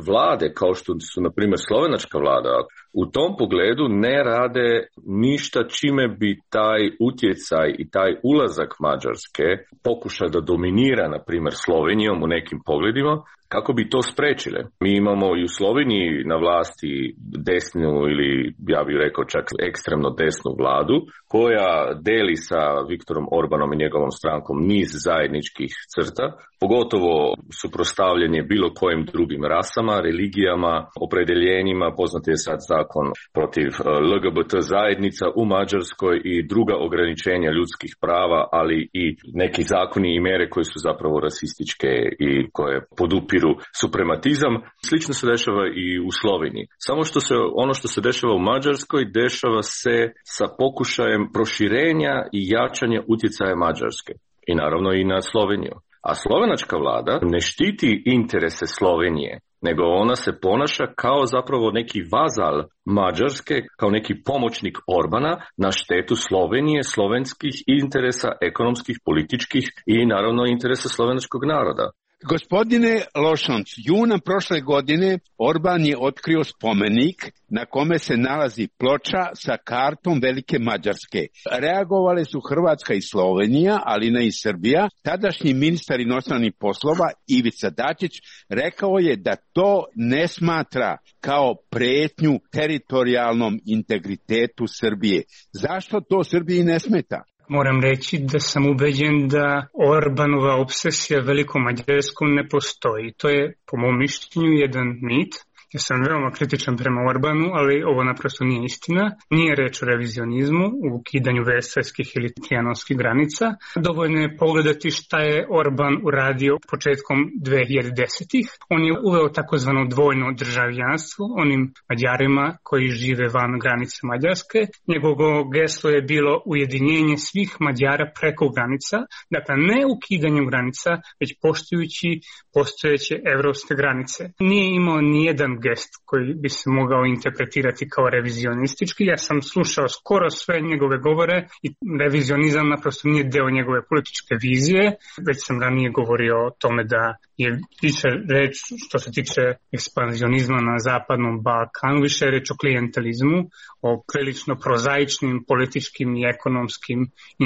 vlade kao što su na primjer slovenačka vlada u tom pogledu ne rade ništa čime bi taj utjecaj i taj ulazak Mađarske pokuša da dominira na primjer Slovenijom u nekim pogledima, kako bi to sprečile. Mi imamo i u Sloveniji na vlasti desnu ili ja bih rekao čak ekstremno desnu vladu koja deli sa Viktorom Orbanom i njegovom strankom niz zajedničkih crta, pogotovo suprotstavljanje bilo kojim drugim rasama, religijama, opredeljenjima. Poznat je sad zakon protiv L G B T zajednica u Mađarskoj i druga ograničenja ljudskih prava, ali i neki zakoni i mere koje su zapravo rasističke i koje podupiru suprematizam. Slično se dešava i u Sloveniji. Samo što se ono što se dešava u Mađarskoj dešava se sa pokušajem proširenja i jačanja utjecaja Mađarske i naravno i na Sloveniju. A slovenačka vlada ne štiti interese Slovenije, nego ona se ponaša kao zapravo neki vazal Mađarske, kao neki pomoćnik Orbana na štetu Slovenije, slovenskih interesa, ekonomskih, političkih i naravno interesa slovenačkog naroda. Gospodine Lošanc, juna prošle godine Orban je otkrio spomenik na kome se nalazi ploča sa kartom Velike Mađarske. Reagovale su Hrvatska i Slovenija, ali ne i Srbija. Tadašnji ministar inostranih poslova Ivica Dačić rekao je da to ne smatra kao pretnju teritorijalnom integritetu Srbije. Zašto to Srbiji ne smeta? Moram reći da sam ubeđen da Orbanova obsesija velikom Mađarskom ne postoji. To je, po mom mišljenju, jedan mit. Ja sam veoma kritičan prema Orbanu, ali ovo naprosto nije istina. Nije reč o revizionizmu, u ukidanju versajskih ili trijanonskih granica. Dovoljno je pogledati šta je Orban uradio početkom dve hiljade desetih. On je uveo takozvano dvojno državljanstvo onim Mađarima koji žive van granice Mađarske. Njegovo geslo je bilo ujedinjenje svih Mađara preko granica, dakle ne ukidanjem granica, već poštujući postojeće evropske granice. Nije imao nijedan gest koji bi se mogao interpretirati kao revizionistički. Ja sam slušao skoro sve njegove govore i revizionizam naprosto nije deo njegove političke vizije. Već sam ranije govorio o tome da je više reč što se tiče ekspanzionizma na zapadnom Balkanu, više je reč o klijentelizmu, o prilično prozaičnim političkim i ekonomskim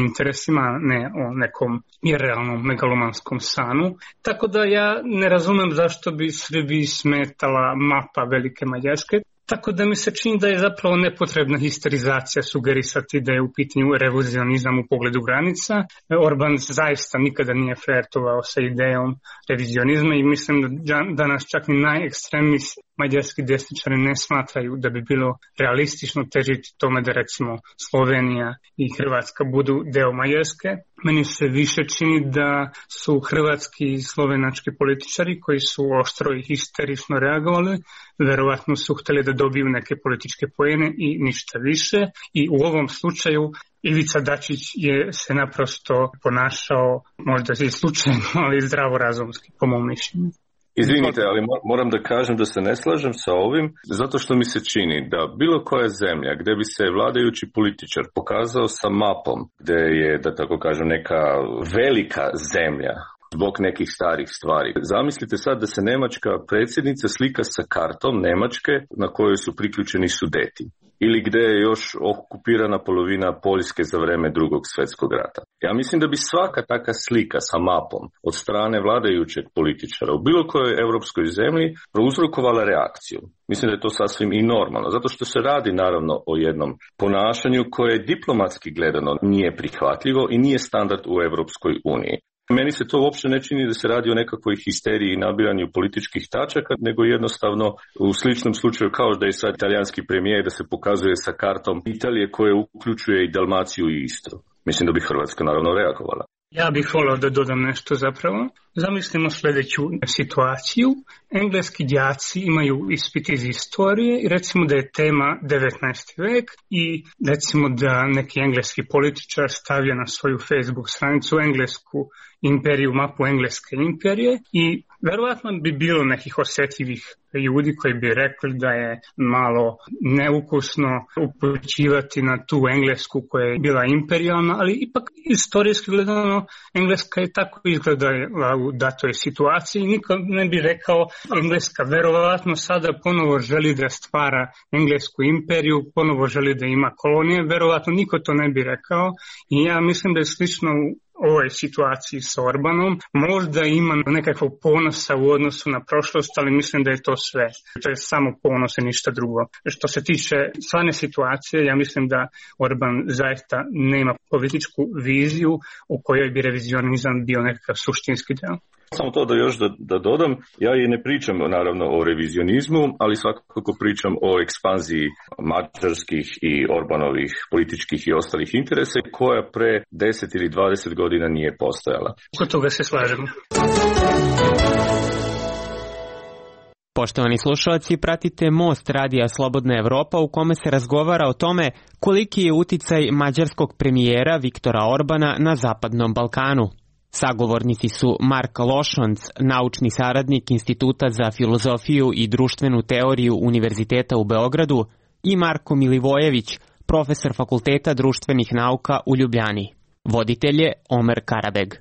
interesima, ne o nekom irrealnom megalomanskom sanu. Tako da ja ne razumem zašto bi Srbiji smetala mapa Velike Mađarske. Tako da mi se čini da je zapravo nepotrebna histerizacija sugerisati da je u pitanju revizionizam u pogledu granica. Orban zaista nikada nije flirtovao sa idejom revizionizma i mislim da danas čak ni najekstremniji mađarski desničari ne smatraju da bi bilo realistično težiti tome da recimo Slovenija i Hrvatska budu deo Mađarske. Meni se više čini da su hrvatski i slovenački političari koji su oštro i histerično reagovali, verovatno su htjeli da dobiju neke političke poene i ništa više. I u ovom slučaju Ivica Dačić je se naprosto ponašao, možda i slučajno, ali zdravorazumski, po mom mišljenju. Izvinite, ali moram da kažem da se ne slažem sa ovim, zato što mi se čini da bilo koja zemlja gdje bi se vladajući političar pokazao sa mapom, gdje je, da tako kažem, neka velika zemlja zbog nekih starih stvari. Zamislite sad da se njemačka predsjednica slika sa kartom Njemačke na kojoj su priključeni Sudeti. Ili gdje je još okupirana polovina Poljske za vreme drugog svjetskog rata. Ja mislim da bi svaka taka slika sa mapom od strane vladajućeg političara u bilo kojoj europskoj zemlji prouzrokovala reakciju. Mislim da je to sasvim i normalno, zato što se radi naravno o jednom ponašanju koje diplomatski gledano nije prihvatljivo i nije standard u Europskoj uniji. Meni se to uopće ne čini da se radi o nekakvoj histeriji i nabiranju političkih tačaka, nego jednostavno u sličnom slučaju kao da je sad italijanski premijer da se pokazuje sa kartom Italije koje uključuje i Dalmaciju i Istru. Mislim da bi Hrvatska naravno reagovala. Ja bih volio da dodam nešto zapravo. Zamislimo sljedeću situaciju. Engleski đaci imaju ispit iz istorije i recimo da je tema devetnaesti vek i recimo da neki engleski političar stavio na svoju Facebook stranicu englesku imperiju, mapu engleske imperije i verovatno bi bilo nekih osjetljivih ljudi koji bi rekli da je malo neukusno upućivati na tu englesku koja je bila imperijalna, ali ipak istorijski gledano Engleska je tako izgledala u datoj situaciji. Niko ne bi rekao Engleska verovatno sada ponovo želi da stvara englesku imperiju, ponovo želi da ima kolonije, verovatno niko to ne bi rekao i ja mislim da je slično u ovoj situaciji s Orbanom. Možda ima nekakvog ponosa u odnosu na prošlost, ali mislim da je to sve. To je samo ponos i ništa drugo. Što se tiče stvarne situacije, ja mislim da Orban zaista nema političku viziju u kojoj bi revizionizam bio nekakav suštinski deo. Samo to da još da, da dodam, ja i ne pričam naravno o revizionizmu, ali svakako pričam o ekspanziji mađarskih i Orbanovih političkih i ostalih interesa koja pre deset ili dvadeset godina nije postojala. Oko toga se slažemo. Poštovani slušalci, pratite Most radija Slobodna Evropa u kome se razgovara o tome koliki je uticaj mađarskog premijera Viktora Orbana na Zapadnom Balkanu. Sagovornici su Mark Lošonc, naučni saradnik Instituta za filozofiju i društvenu teoriju Univerziteta u Beogradu, i Marko Milivojević, profesor Fakulteta društvenih nauka u Ljubljani. Voditelj je Omer Karabeg.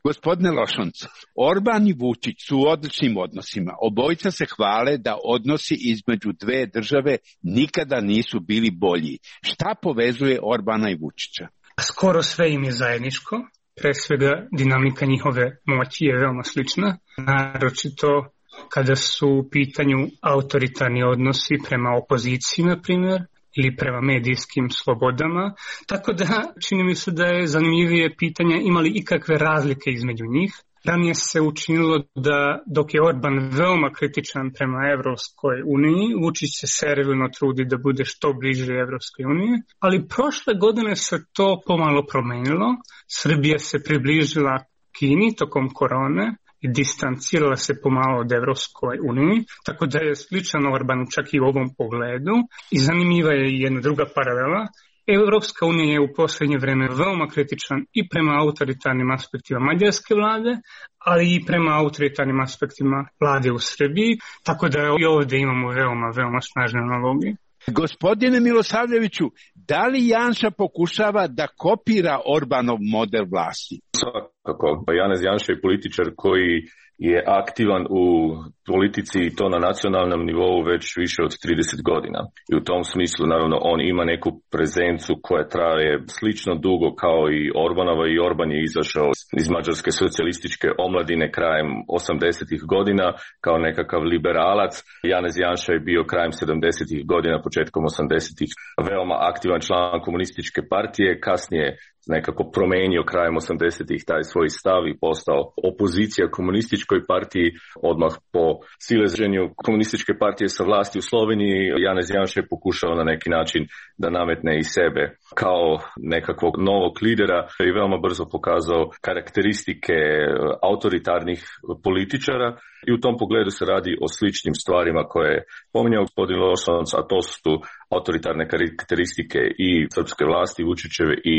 Gospodine Lošonc, Orban i Vučić su u odličnim odnosima. Obojica se hvale da odnosi između dve države nikada nisu bili bolji. Šta povezuje Orbana i Vučića? Skoro sve im je zajedničko. Pre svega dinamika njihove moći je veoma slična. Naročito kada su u pitanju autoritarni odnosi prema opoziciji, na primjer, ili prema medijskim slobodama, tako da čini mi se da je zanimljivije pitanje imali ikakve razlike između njih. Ranije se učinilo da dok je Orban veoma kritičan prema Evropskoj uniji, Vučić se servilno trudi da bude što bliže Evropskoj uniji, ali prošle godine se to pomalo promenilo. Srbija se približila Kini tokom korone i distancirala se pomalo od Evropskoj uniji, tako da je sličan Orbanu čak i u ovom pogledu. I zanimljiva je jedna druga paralela. Evropska unija je u posljednje vreme veoma kritičan i prema autoritarnim aspektima mađarske vlade, ali i prema autoritarnim aspektima vlade u Srbiji, tako da i ovdje imamo veoma, veoma snažne analogije. Gospodine Milosavljeviću, da li Janša pokušava da kopira Orbanov model vlasti? Kako Janez Janša je političar koji je aktivan u politici i to na nacionalnom nivou već više od trideset godina. I u tom smislu, naravno, on ima neku prezencu koja traje slično dugo kao i Orbanova i Orban je izašao iz mađarske socijalističke omladine krajem osamdesetih godina kao nekakav liberalac. Janez Janša je bio krajem sedamdesetih godina, početkom osamdesetih veoma aktivan član komunističke partije, kasnije nekako promenio krajem osamdesetih taj svoj stav i postao opozicija komunističkoj partiji. Odmah po sileženju komunističke partije sa vlasti u Sloveniji, Janez Janša je pokušao na neki način da nametne i sebe kao nekakvog novog lidera i veoma brzo pokazao karakteristike autoritarnih političara. I u tom pogledu se radi o sličnim stvarima koje je pominjao gospodin Lošanac, a to su autoritarne karakteristike i srpske vlasti, Vučićeve i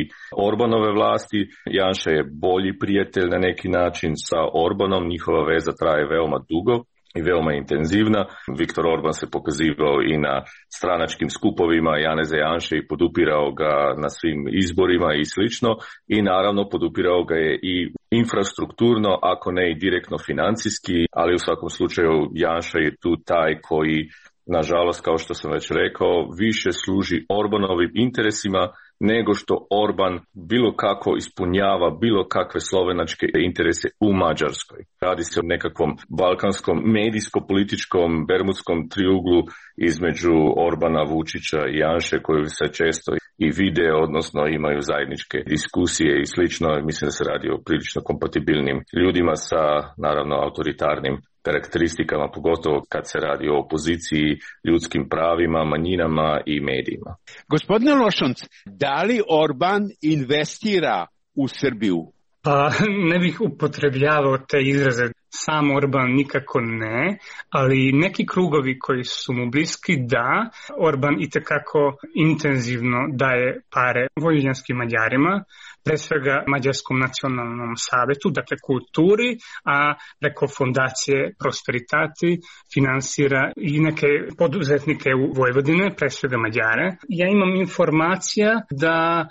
Orbanove vlasti. Janša je bolji prijatelj na neki način sa Orbanom, njihova veza traje veoma dugo i veoma intenzivna. Viktor Orban se pokazivao i na stranačkim skupovima Janeza Janše i podupirao ga na svim izborima i slično. I naravno podupirao ga je i infrastrukturno, ako ne i direktno financijski, ali u svakom slučaju Janša je tu taj koji, nažalost, kao što sam već rekao, više služi Orbanovim interesima nego što Orban bilo kako ispunjava bilo kakve slovenačke interese u Mađarskoj. Radi se o nekakvom balkanskom medijsko-političkom bermudskom triuglu između Orbana, Vučića i Janše koji se često i vide, odnosno imaju zajedničke diskusije i slično. Mislim da se radi o prilično kompatibilnim ljudima sa, naravno, autoritarnim karakteristikama, pogotovo kad se radi o opoziciji, ljudskim pravima, manjinama i medijima. Gospodine Lošanc, da li Orban investira u Srbiju? Pa ne bih upotrebljavao te izraze. Sam Orban nikako ne, ali neki krugovi koji su mu bliski da, Orban itekako intenzivno daje pare vojvođanskim Mađarima, pre svega Mađarskom nacionalnom savetu, dakle kulturi, a preko fondacije Prosperitati finansira i neke poduzetnike u Vojvodine, pre svega Mađare. Ja imam informacija da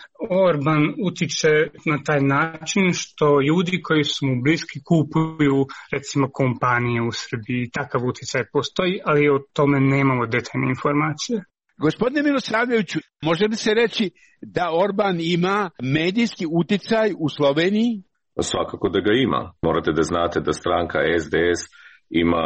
Orban utiče na taj način što ljudi koji su mu bliski kupuju recimo kompanije u Srbiji. Takav uticaj postoji, ali o tome nemamo detaljne informacije. Gospodine Milosavljeviću, može li se reći da Orban ima medijski uticaj u Sloveniji? Svakako da ga ima. Morate da znate da stranka S D S ima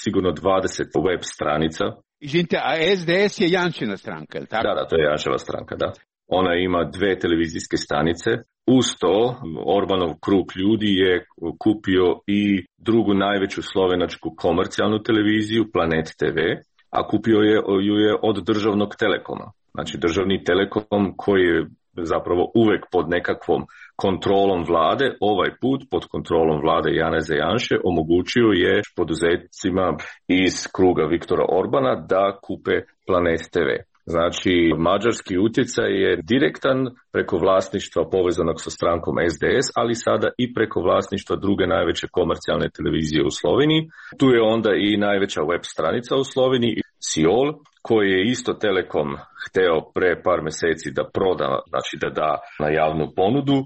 sigurno dvadeset web stranica. Izvinite, a S D S je Janšina stranka, je li tako? Da, da, to je Janševa stranka, da. Ona ima dve televizijske stanice. Uz to, Orbanov krug ljudi je kupio i drugu najveću slovenačku komercijalnu televiziju, Planet T V, a kupio je, ju je od državnog Telekoma. Znači državni Telekom koji je zapravo uvek pod nekakvom kontrolom vlade, ovaj put pod kontrolom vlade Janeza Janše omogućio je poduzetnicima iz kruga Viktora Orbana da kupe Planet T V. Znači, mađarski utjecaj je direktan preko vlasništva povezanog sa strankom S D S, ali sada i preko vlasništva druge najveće komercijalne televizije u Sloveniji. Tu je onda i najveća web stranica u Sloveniji, Siol, koji je isto Telekom hteo pre par meseci da proda, znači da da na javnu ponudu.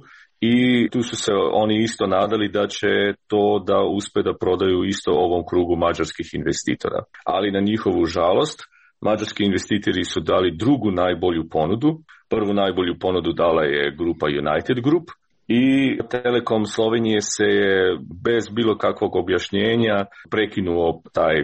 I tu su se oni isto nadali da će to da uspe da prodaju isto ovom krugu mađarskih investitora. Ali na njihovu žalost, mađarski investitori su dali drugu najbolju ponudu. Prvu najbolju ponudu dala je grupa United Group i Telekom Slovenije se je bez bilo kakvog objašnjenja prekinuo taj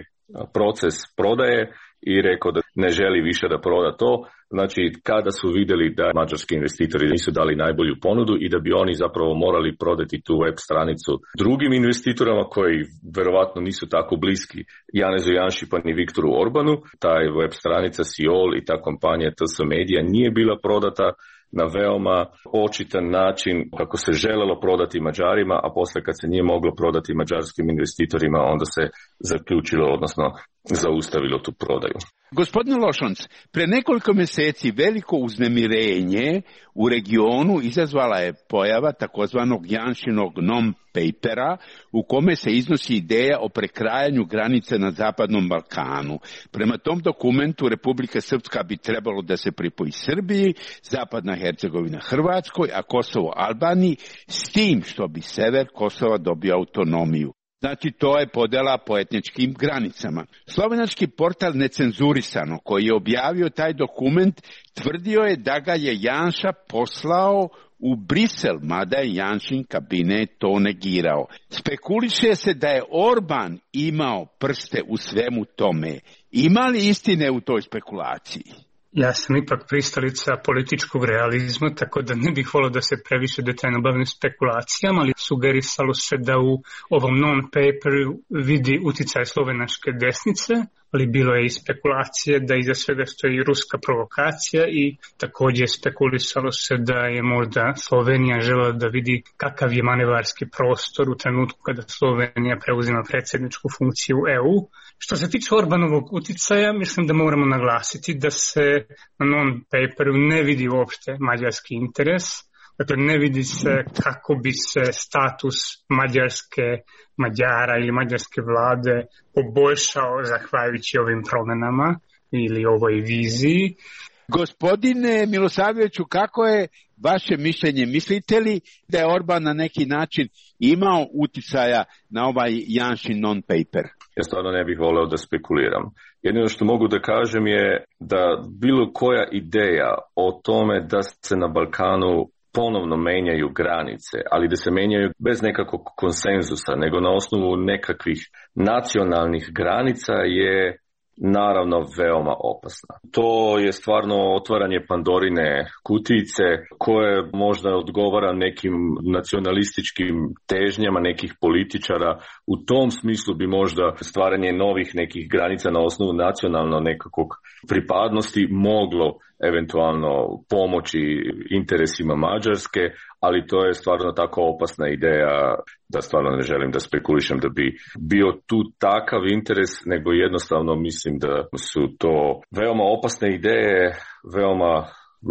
proces prodaje i rekao da ne želi više da proda to. Znači, kada su vidjeli da mađarski investitori nisu dali najbolju ponudu i da bi oni zapravo morali prodati tu web stranicu drugim investitorama koji verovatno nisu tako bliski Janezu Janši pa ni Viktoru Orbanu, taj web stranica Siol i ta kompanija T S Media nije bila prodata na veoma očitan način kako se želelo prodati Mađarima, a posle kad se nije moglo prodati mađarskim investitorima, onda se zaključilo, odnosno zaustavilo tu prodaju. Gospodine Lošanc, pre nekoliko meseci veliko uznemirenje u regionu izazvala je pojava takozvanog Janšinog non-papera u kome se iznosi ideja o prekrajanju granice na Zapadnom Balkanu. Prema tom dokumentu Republika Srpska bi trebalo da se pripoji Srbiji, Zapadna Hercegovina Hrvatskoj, a Kosovo Albaniji, s tim što bi sever Kosova dobio autonomiju. Znači, to je podela po etničkim granicama. Slovenački portal Necenzurisano, koji je objavio taj dokument, tvrdio je da ga je Janša poslao u Brisel, mada je Janšin kabinet to negirao. Spekuliše se da je Orban imao prste u svemu tome. Ima li istine u toj spekulaciji? Ja sam ipak pristalica političkog realizma, tako da ne bih volio da se previše detaljno bavim spekulacijama, ali sugerisalo se da u ovom non-paperu vidi uticaj slovenačke desnice, ali bilo je i spekulacije da iza svega stoji ruska provokacija i također spekulisalo se da je možda Slovenija želela da vidi kakav je manevarski prostor u trenutku kada Slovenija preuzima predsjedničku funkciju E U. Što se tiče Orbanovog uticaja, mislim da moramo naglasiti da se na non-paperu ne vidi uopšte mađarski interes. Dakle, ne vidi se kako bi se status mađarske Mađara ili mađarske vlade poboljšao zahvaljujući ovim promjenama ili ovoj viziji. Gospodine Milosavljeviću, kako je vaše mišljenje? Mislite li da je Orban na neki način imao uticaja na ovaj Janšin non-paper? Ja stvarno ne bih voleo da spekuliram. Jedino što mogu da kažem je da bilo koja ideja o tome da se na Balkanu ponovno menjaju granice, ali da se menjaju bez nekakvog konsenzusa, nego na osnovu nekakvih nacionalnih granica je naravno veoma opasna. To je stvarno otvaranje Pandorine kutijice koje možda odgovara nekim nacionalističkim težnjama nekih političara. U tom smislu bi možda stvaranje novih nekih granica na osnovu nacionalno nekakvog pripadnosti moglo eventualno pomoći interesima Mađarske, ali to je stvarno tako opasna ideja da stvarno ne želim da spekulišem da bi bio tu takav interes, nego jednostavno mislim da su to veoma opasne ideje, veoma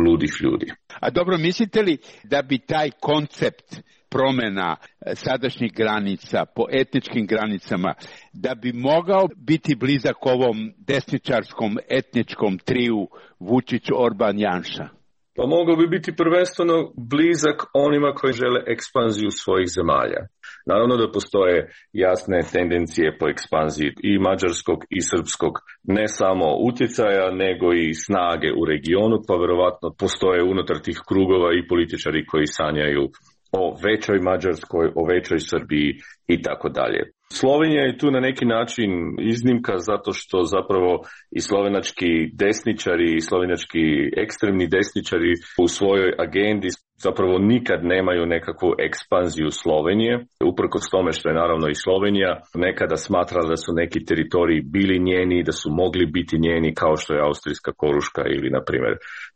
ludih ljudi. A dobro, mislite li da bi taj koncept promjena sadašnjih granica po etničkim granicama, da bi mogao biti blizak ovom desničarskom etničkom triju Vučić-Orban-Janša? Pa mogao bi biti prvenstveno blizak onima koji žele ekspanziju svojih zemalja. Naravno da postoje jasne tendencije po ekspanziji i mađarskog i srpskog, ne samo utjecaja, nego i snage u regionu, pa verovatno postoje unutar tih krugova i političari koji sanjaju o većoj Mađarskoj, o većoj Srbiji i tako dalje. Slovenija je tu na neki način iznimka zato što zapravo i slovenački desničari i slovenački ekstremni desničari u svojoj agendi zapravo nikad nemaju nekakvu ekspanziju Slovenije, uprkos tome što je naravno i Slovenija nekada smatrala da su neki teritoriji bili njeni, da su mogli biti njeni kao što je Austrijska Koruška ili na primjer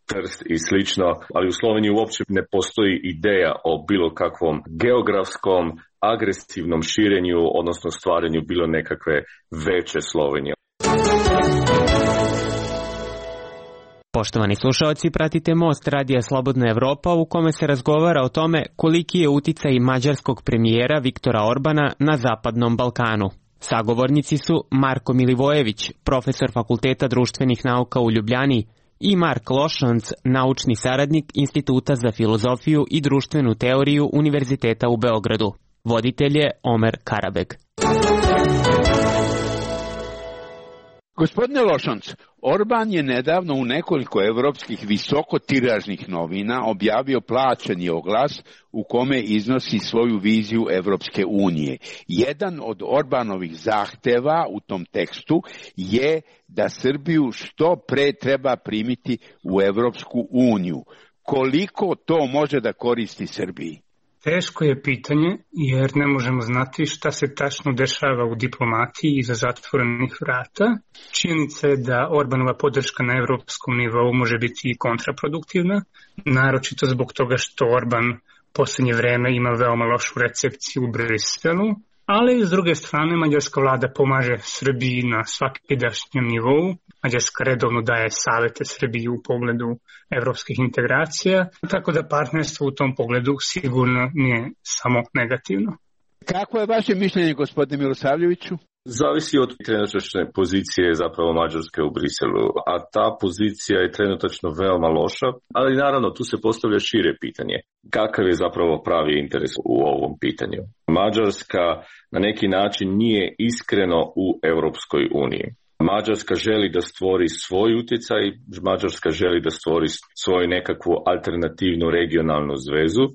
Trst i slično, ali u Sloveniji uopće ne postoji ideja o bilo kakvom geografskom agresivnom širenju, odnosno stvaranju bilo nekakve veće Slovenije. Poštovani slušalci, pratite Most Radija Slobodna Evropa u kome se razgovara o tome koliki je uticaj mađarskog premijera Viktora Orbana na Zapadnom Balkanu. Sagovornici su Marko Milivojević, profesor Fakulteta društvenih nauka u Ljubljani, i Mark Lošanc, naučni saradnik Instituta za filozofiju i društvenu teoriju Univerziteta u Beogradu. Voditelj je Omer Karabeg. Gospodine Lošanc, Orban je nedavno u nekoliko evropskih visokotiražnih novina objavio plaćeni oglas u kome iznosi svoju viziju Evropske unije. Jedan od Orbanovih zahteva u tom tekstu je da Srbiju što pre treba primiti u Evropsku uniju. Koliko to može da koristi Srbiji? Teško je pitanje jer ne možemo znati šta se tačno dešava u diplomatiji iza zatvorenih vrata. Činjenica je da Orbanova podrška na evropskom nivou može biti i kontraproduktivna, naročito zbog toga što Orban posljednje vreme ima veoma lošu recepciju u Briselu. ali s druge strane mađarska vlada pomaže Srbiji na svakidašnjem nivou. Mađarska redovno daje savete Srbiji u pogledu evropskih integracija, tako da partnerstvo u tom pogledu sigurno nije samo negativno. Kako je vaše mišljenje, gospodine Milosavljeviću? Zavisi od trenutačne pozicije zapravo Mađarske u Briselu, a ta pozicija je trenutačno veoma loša, ali naravno tu se postavlja šire pitanje. Kakav je zapravo pravi interes u ovom pitanju? Mađarska na neki način nije iskreno u Europskoj uniji. Mađarska želi da stvori svoj utjecaj, Mađarska želi da stvori svoju nekakvu alternativnu regionalnu zvezu.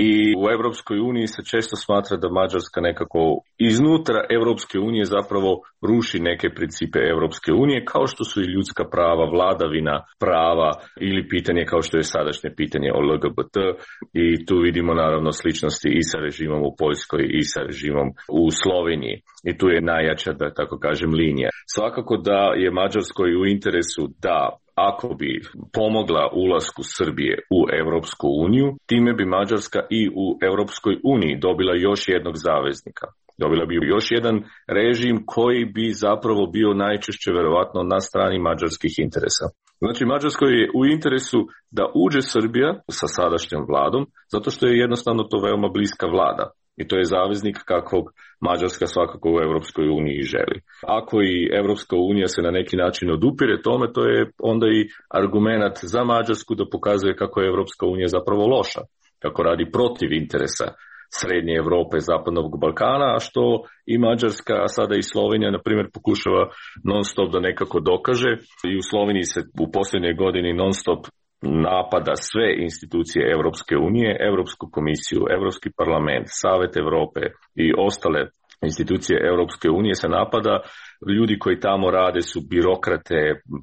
I u Europskoj uniji se često smatra da Mađarska nekako iznutra Europske unije zapravo ruši neke principe Europske unije, kao što su i ljudska prava, vladavina prava ili pitanje kao što je sadašnje pitanje o L G B T. I tu vidimo naravno sličnosti i sa režimom u Poljskoj i sa režimom u Sloveniji. I tu je najjača, da tako kažem, linija. Svakako da je Mađarskoj u interesu da ako bi pomogla ulasku Srbije u Europsku uniju, time bi Mađarska i u Europskoj uniji dobila još jednog zaveznika. Dobila bi još jedan režim koji bi zapravo bio najčešće verovatno na strani mađarskih interesa. Znači, Mađarskoj je u interesu da uđe Srbija sa sadašnjom vladom, zato što je jednostavno to veoma bliska vlada. I to je zaveznik kakvog Mađarska svakako u Europskoj uniji želi. Ako i Europska unija se na neki način odupire tome, to je onda i argument za Mađarsku da pokazuje kako je Europska unija zapravo loša, kako radi protiv interesa Srednje Europe, Zapadnog Balkana, a što i Mađarska, a sada i Slovenija, na primjer, pokušava non stop da nekako dokaže. I u Sloveniji se u posljednjoj godini non stop napada sve institucije Europske unije, Europsku komisiju, Europski parlament, Savet Europe i ostale institucije Europske unije se napada. Ljudi koji tamo rade su birokrate,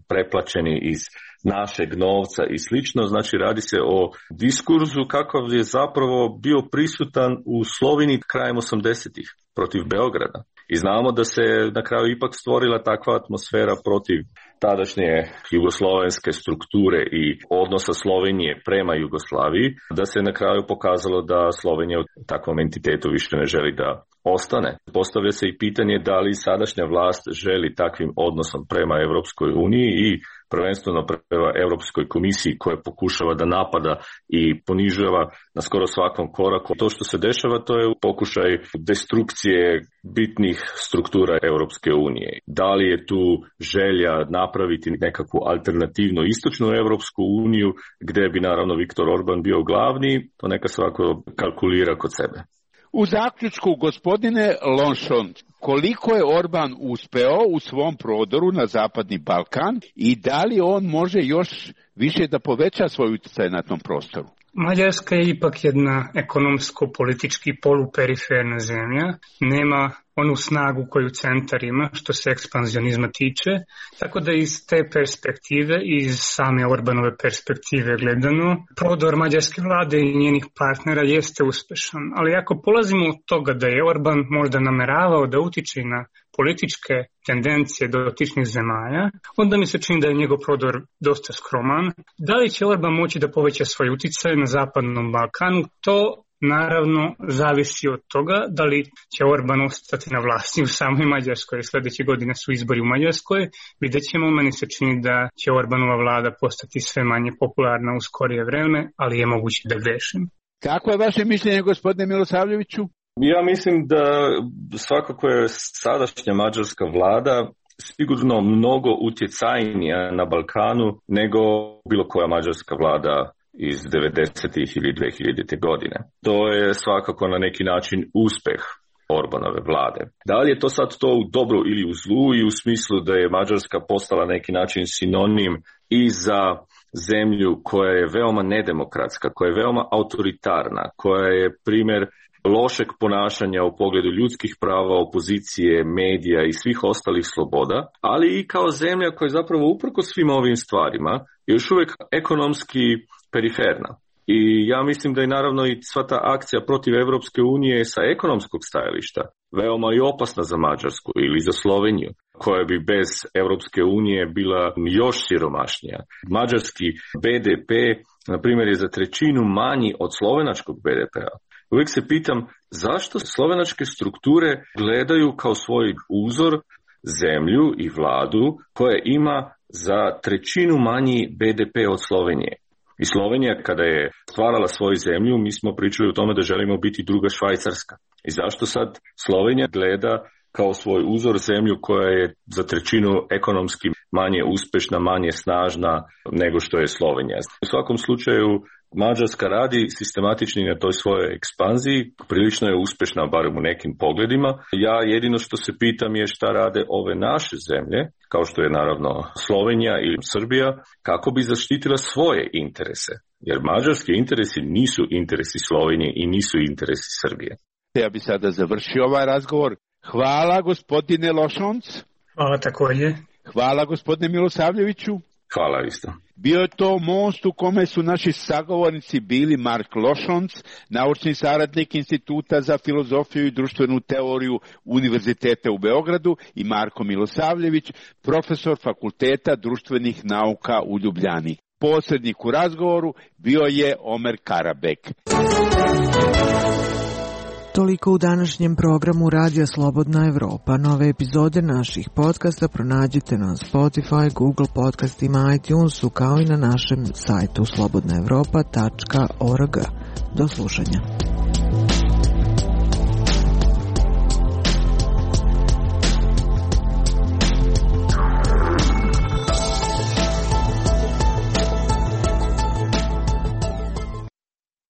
preplaćeni iz našeg novca i slično. Znači, radi se o diskursu kakav je zapravo bio prisutan u Sloveniji krajem osamdesetih protiv Beograda. I znamo da se na kraju ipak stvorila takva atmosfera protiv tadašnje jugoslovenske strukture i odnosa Slovenije prema Jugoslaviji, da se na kraju pokazalo da Slovenija u takvom entitetu više ne želi da ostane. Postavlja se i pitanje da li sadašnja vlast želi takvim odnosom prema Europskoj uniji i prvenstveno prema Europskoj komisiji koja pokušava da napada i ponižava na skoro svakom koraku. To što se dešava, to je pokušaj destrukcije bitnih struktura Europske unije. Da li je tu želja napraviti nekakvu alternativnu istočnu Europsku uniju gdje bi naravno Viktor Orban bio glavni, to neka svako kalkulira kod sebe. U zaključku, gospodine Lonšon, koliko je Orban uspeo u svom prodoru na Zapadni Balkan i da li on može još više da poveća svoj utjecaj na tom prostoru? Mađarska je ipak jedna ekonomsko-politički poluperiferna zemlja, nema onu snagu koju centar ima što se ekspanzionizma tiče, tako da iz te perspektive, iz same Orbanove perspektive gledano, prodor mađarske vlade i njenih partnera jeste uspešan. Ali ako polazimo od toga da je Orban možda nameravao da utiče na političke tendencije dotičnih zemalja, onda mi se čini da je njegov prodor dosta skroman. Da li će Orban moći da poveća svoj uticaj na Zapadnom Balkanu, to naravno zavisi od toga da li će Orban ostati na vlasti u samoj Mađarskoj. Sljedeće godine su izbori u Mađarskoj. Vidjet ćemo, meni se čini da će Orbanova vlada postati sve manje popularna u skorije vreme, ali je moguće da grešim. Kako je vaše mišljenje, gospodine Milosavljeviću? Ja mislim da svakako je sadašnja mađarska vlada sigurno mnogo utjecajnija na Balkanu nego bilo koja mađarska vlada iz devedesetih ili dve hiljadite godine. To je svakako na neki način uspeh Orbanove vlade. Da li je to sad to u dobru ili u zlu i u smislu da je Mađarska postala na neki način sinonim i za zemlju koja je veoma nedemokratska, koja je veoma autoritarna, koja je primjer lošeg ponašanja u pogledu ljudskih prava, opozicije, medija i svih ostalih sloboda, ali i kao zemlja koja je zapravo uprkos svim ovim stvarima još uvijek ekonomski periferna. I ja mislim da je naravno i sva ta akcija protiv Europske unije sa ekonomskog stajališta veoma i opasna za Mađarsku ili za Sloveniju, koja bi bez Europske unije bila još siromašnija. Mađarski B D P, na primjer, je za trećinu manji od slovenačkog B D P-a. uvijek se pitam zašto slovenačke strukture gledaju kao svoj uzor zemlju i vladu koja ima za trećinu manji be de pe od Slovenije. I Slovenija kada je stvarala svoju zemlju, mi smo pričali o tome da želimo biti druga Švajcarska. I zašto sad Slovenija gleda kao svoj uzor zemlju koja je za trećinu ekonomski manje uspešna, manje snažna nego što je Slovenija. U svakom slučaju Mađarska radi sistematični na toj svojoj ekspanziji, prilično je uspešna barem u nekim pogledima. Ja jedino što se pitam je šta rade ove naše zemlje, kao što je naravno Slovenija ili Srbija, kako bi zaštitila svoje interese. Jer mađarski interesi nisu interesi Slovenije i nisu interesi Srbije. Ja bi sada završio ovaj razgovor. Hvala gospodine Lošonc. Hvala također. Hvala gospodine Milosavljeviću. Hvala isto. Bio je to most u kome su naši sagovornici bili Mark Lošonc, naučni saradnik Instituta za filozofiju i društvenu teoriju Univerziteta u Beogradu, i Marko Milosavljević, profesor Fakulteta društvenih nauka u Ljubljani. Posrednik u razgovoru bio je Omer Karabek. Toliko u današnjem programu Radija Slobodna Evropa. Nove epizode naših podcasta pronađite na Spotify, Google podcastima, iTunesu, kao i na našem sajtu slobodna evropa tačka org. Do slušanja.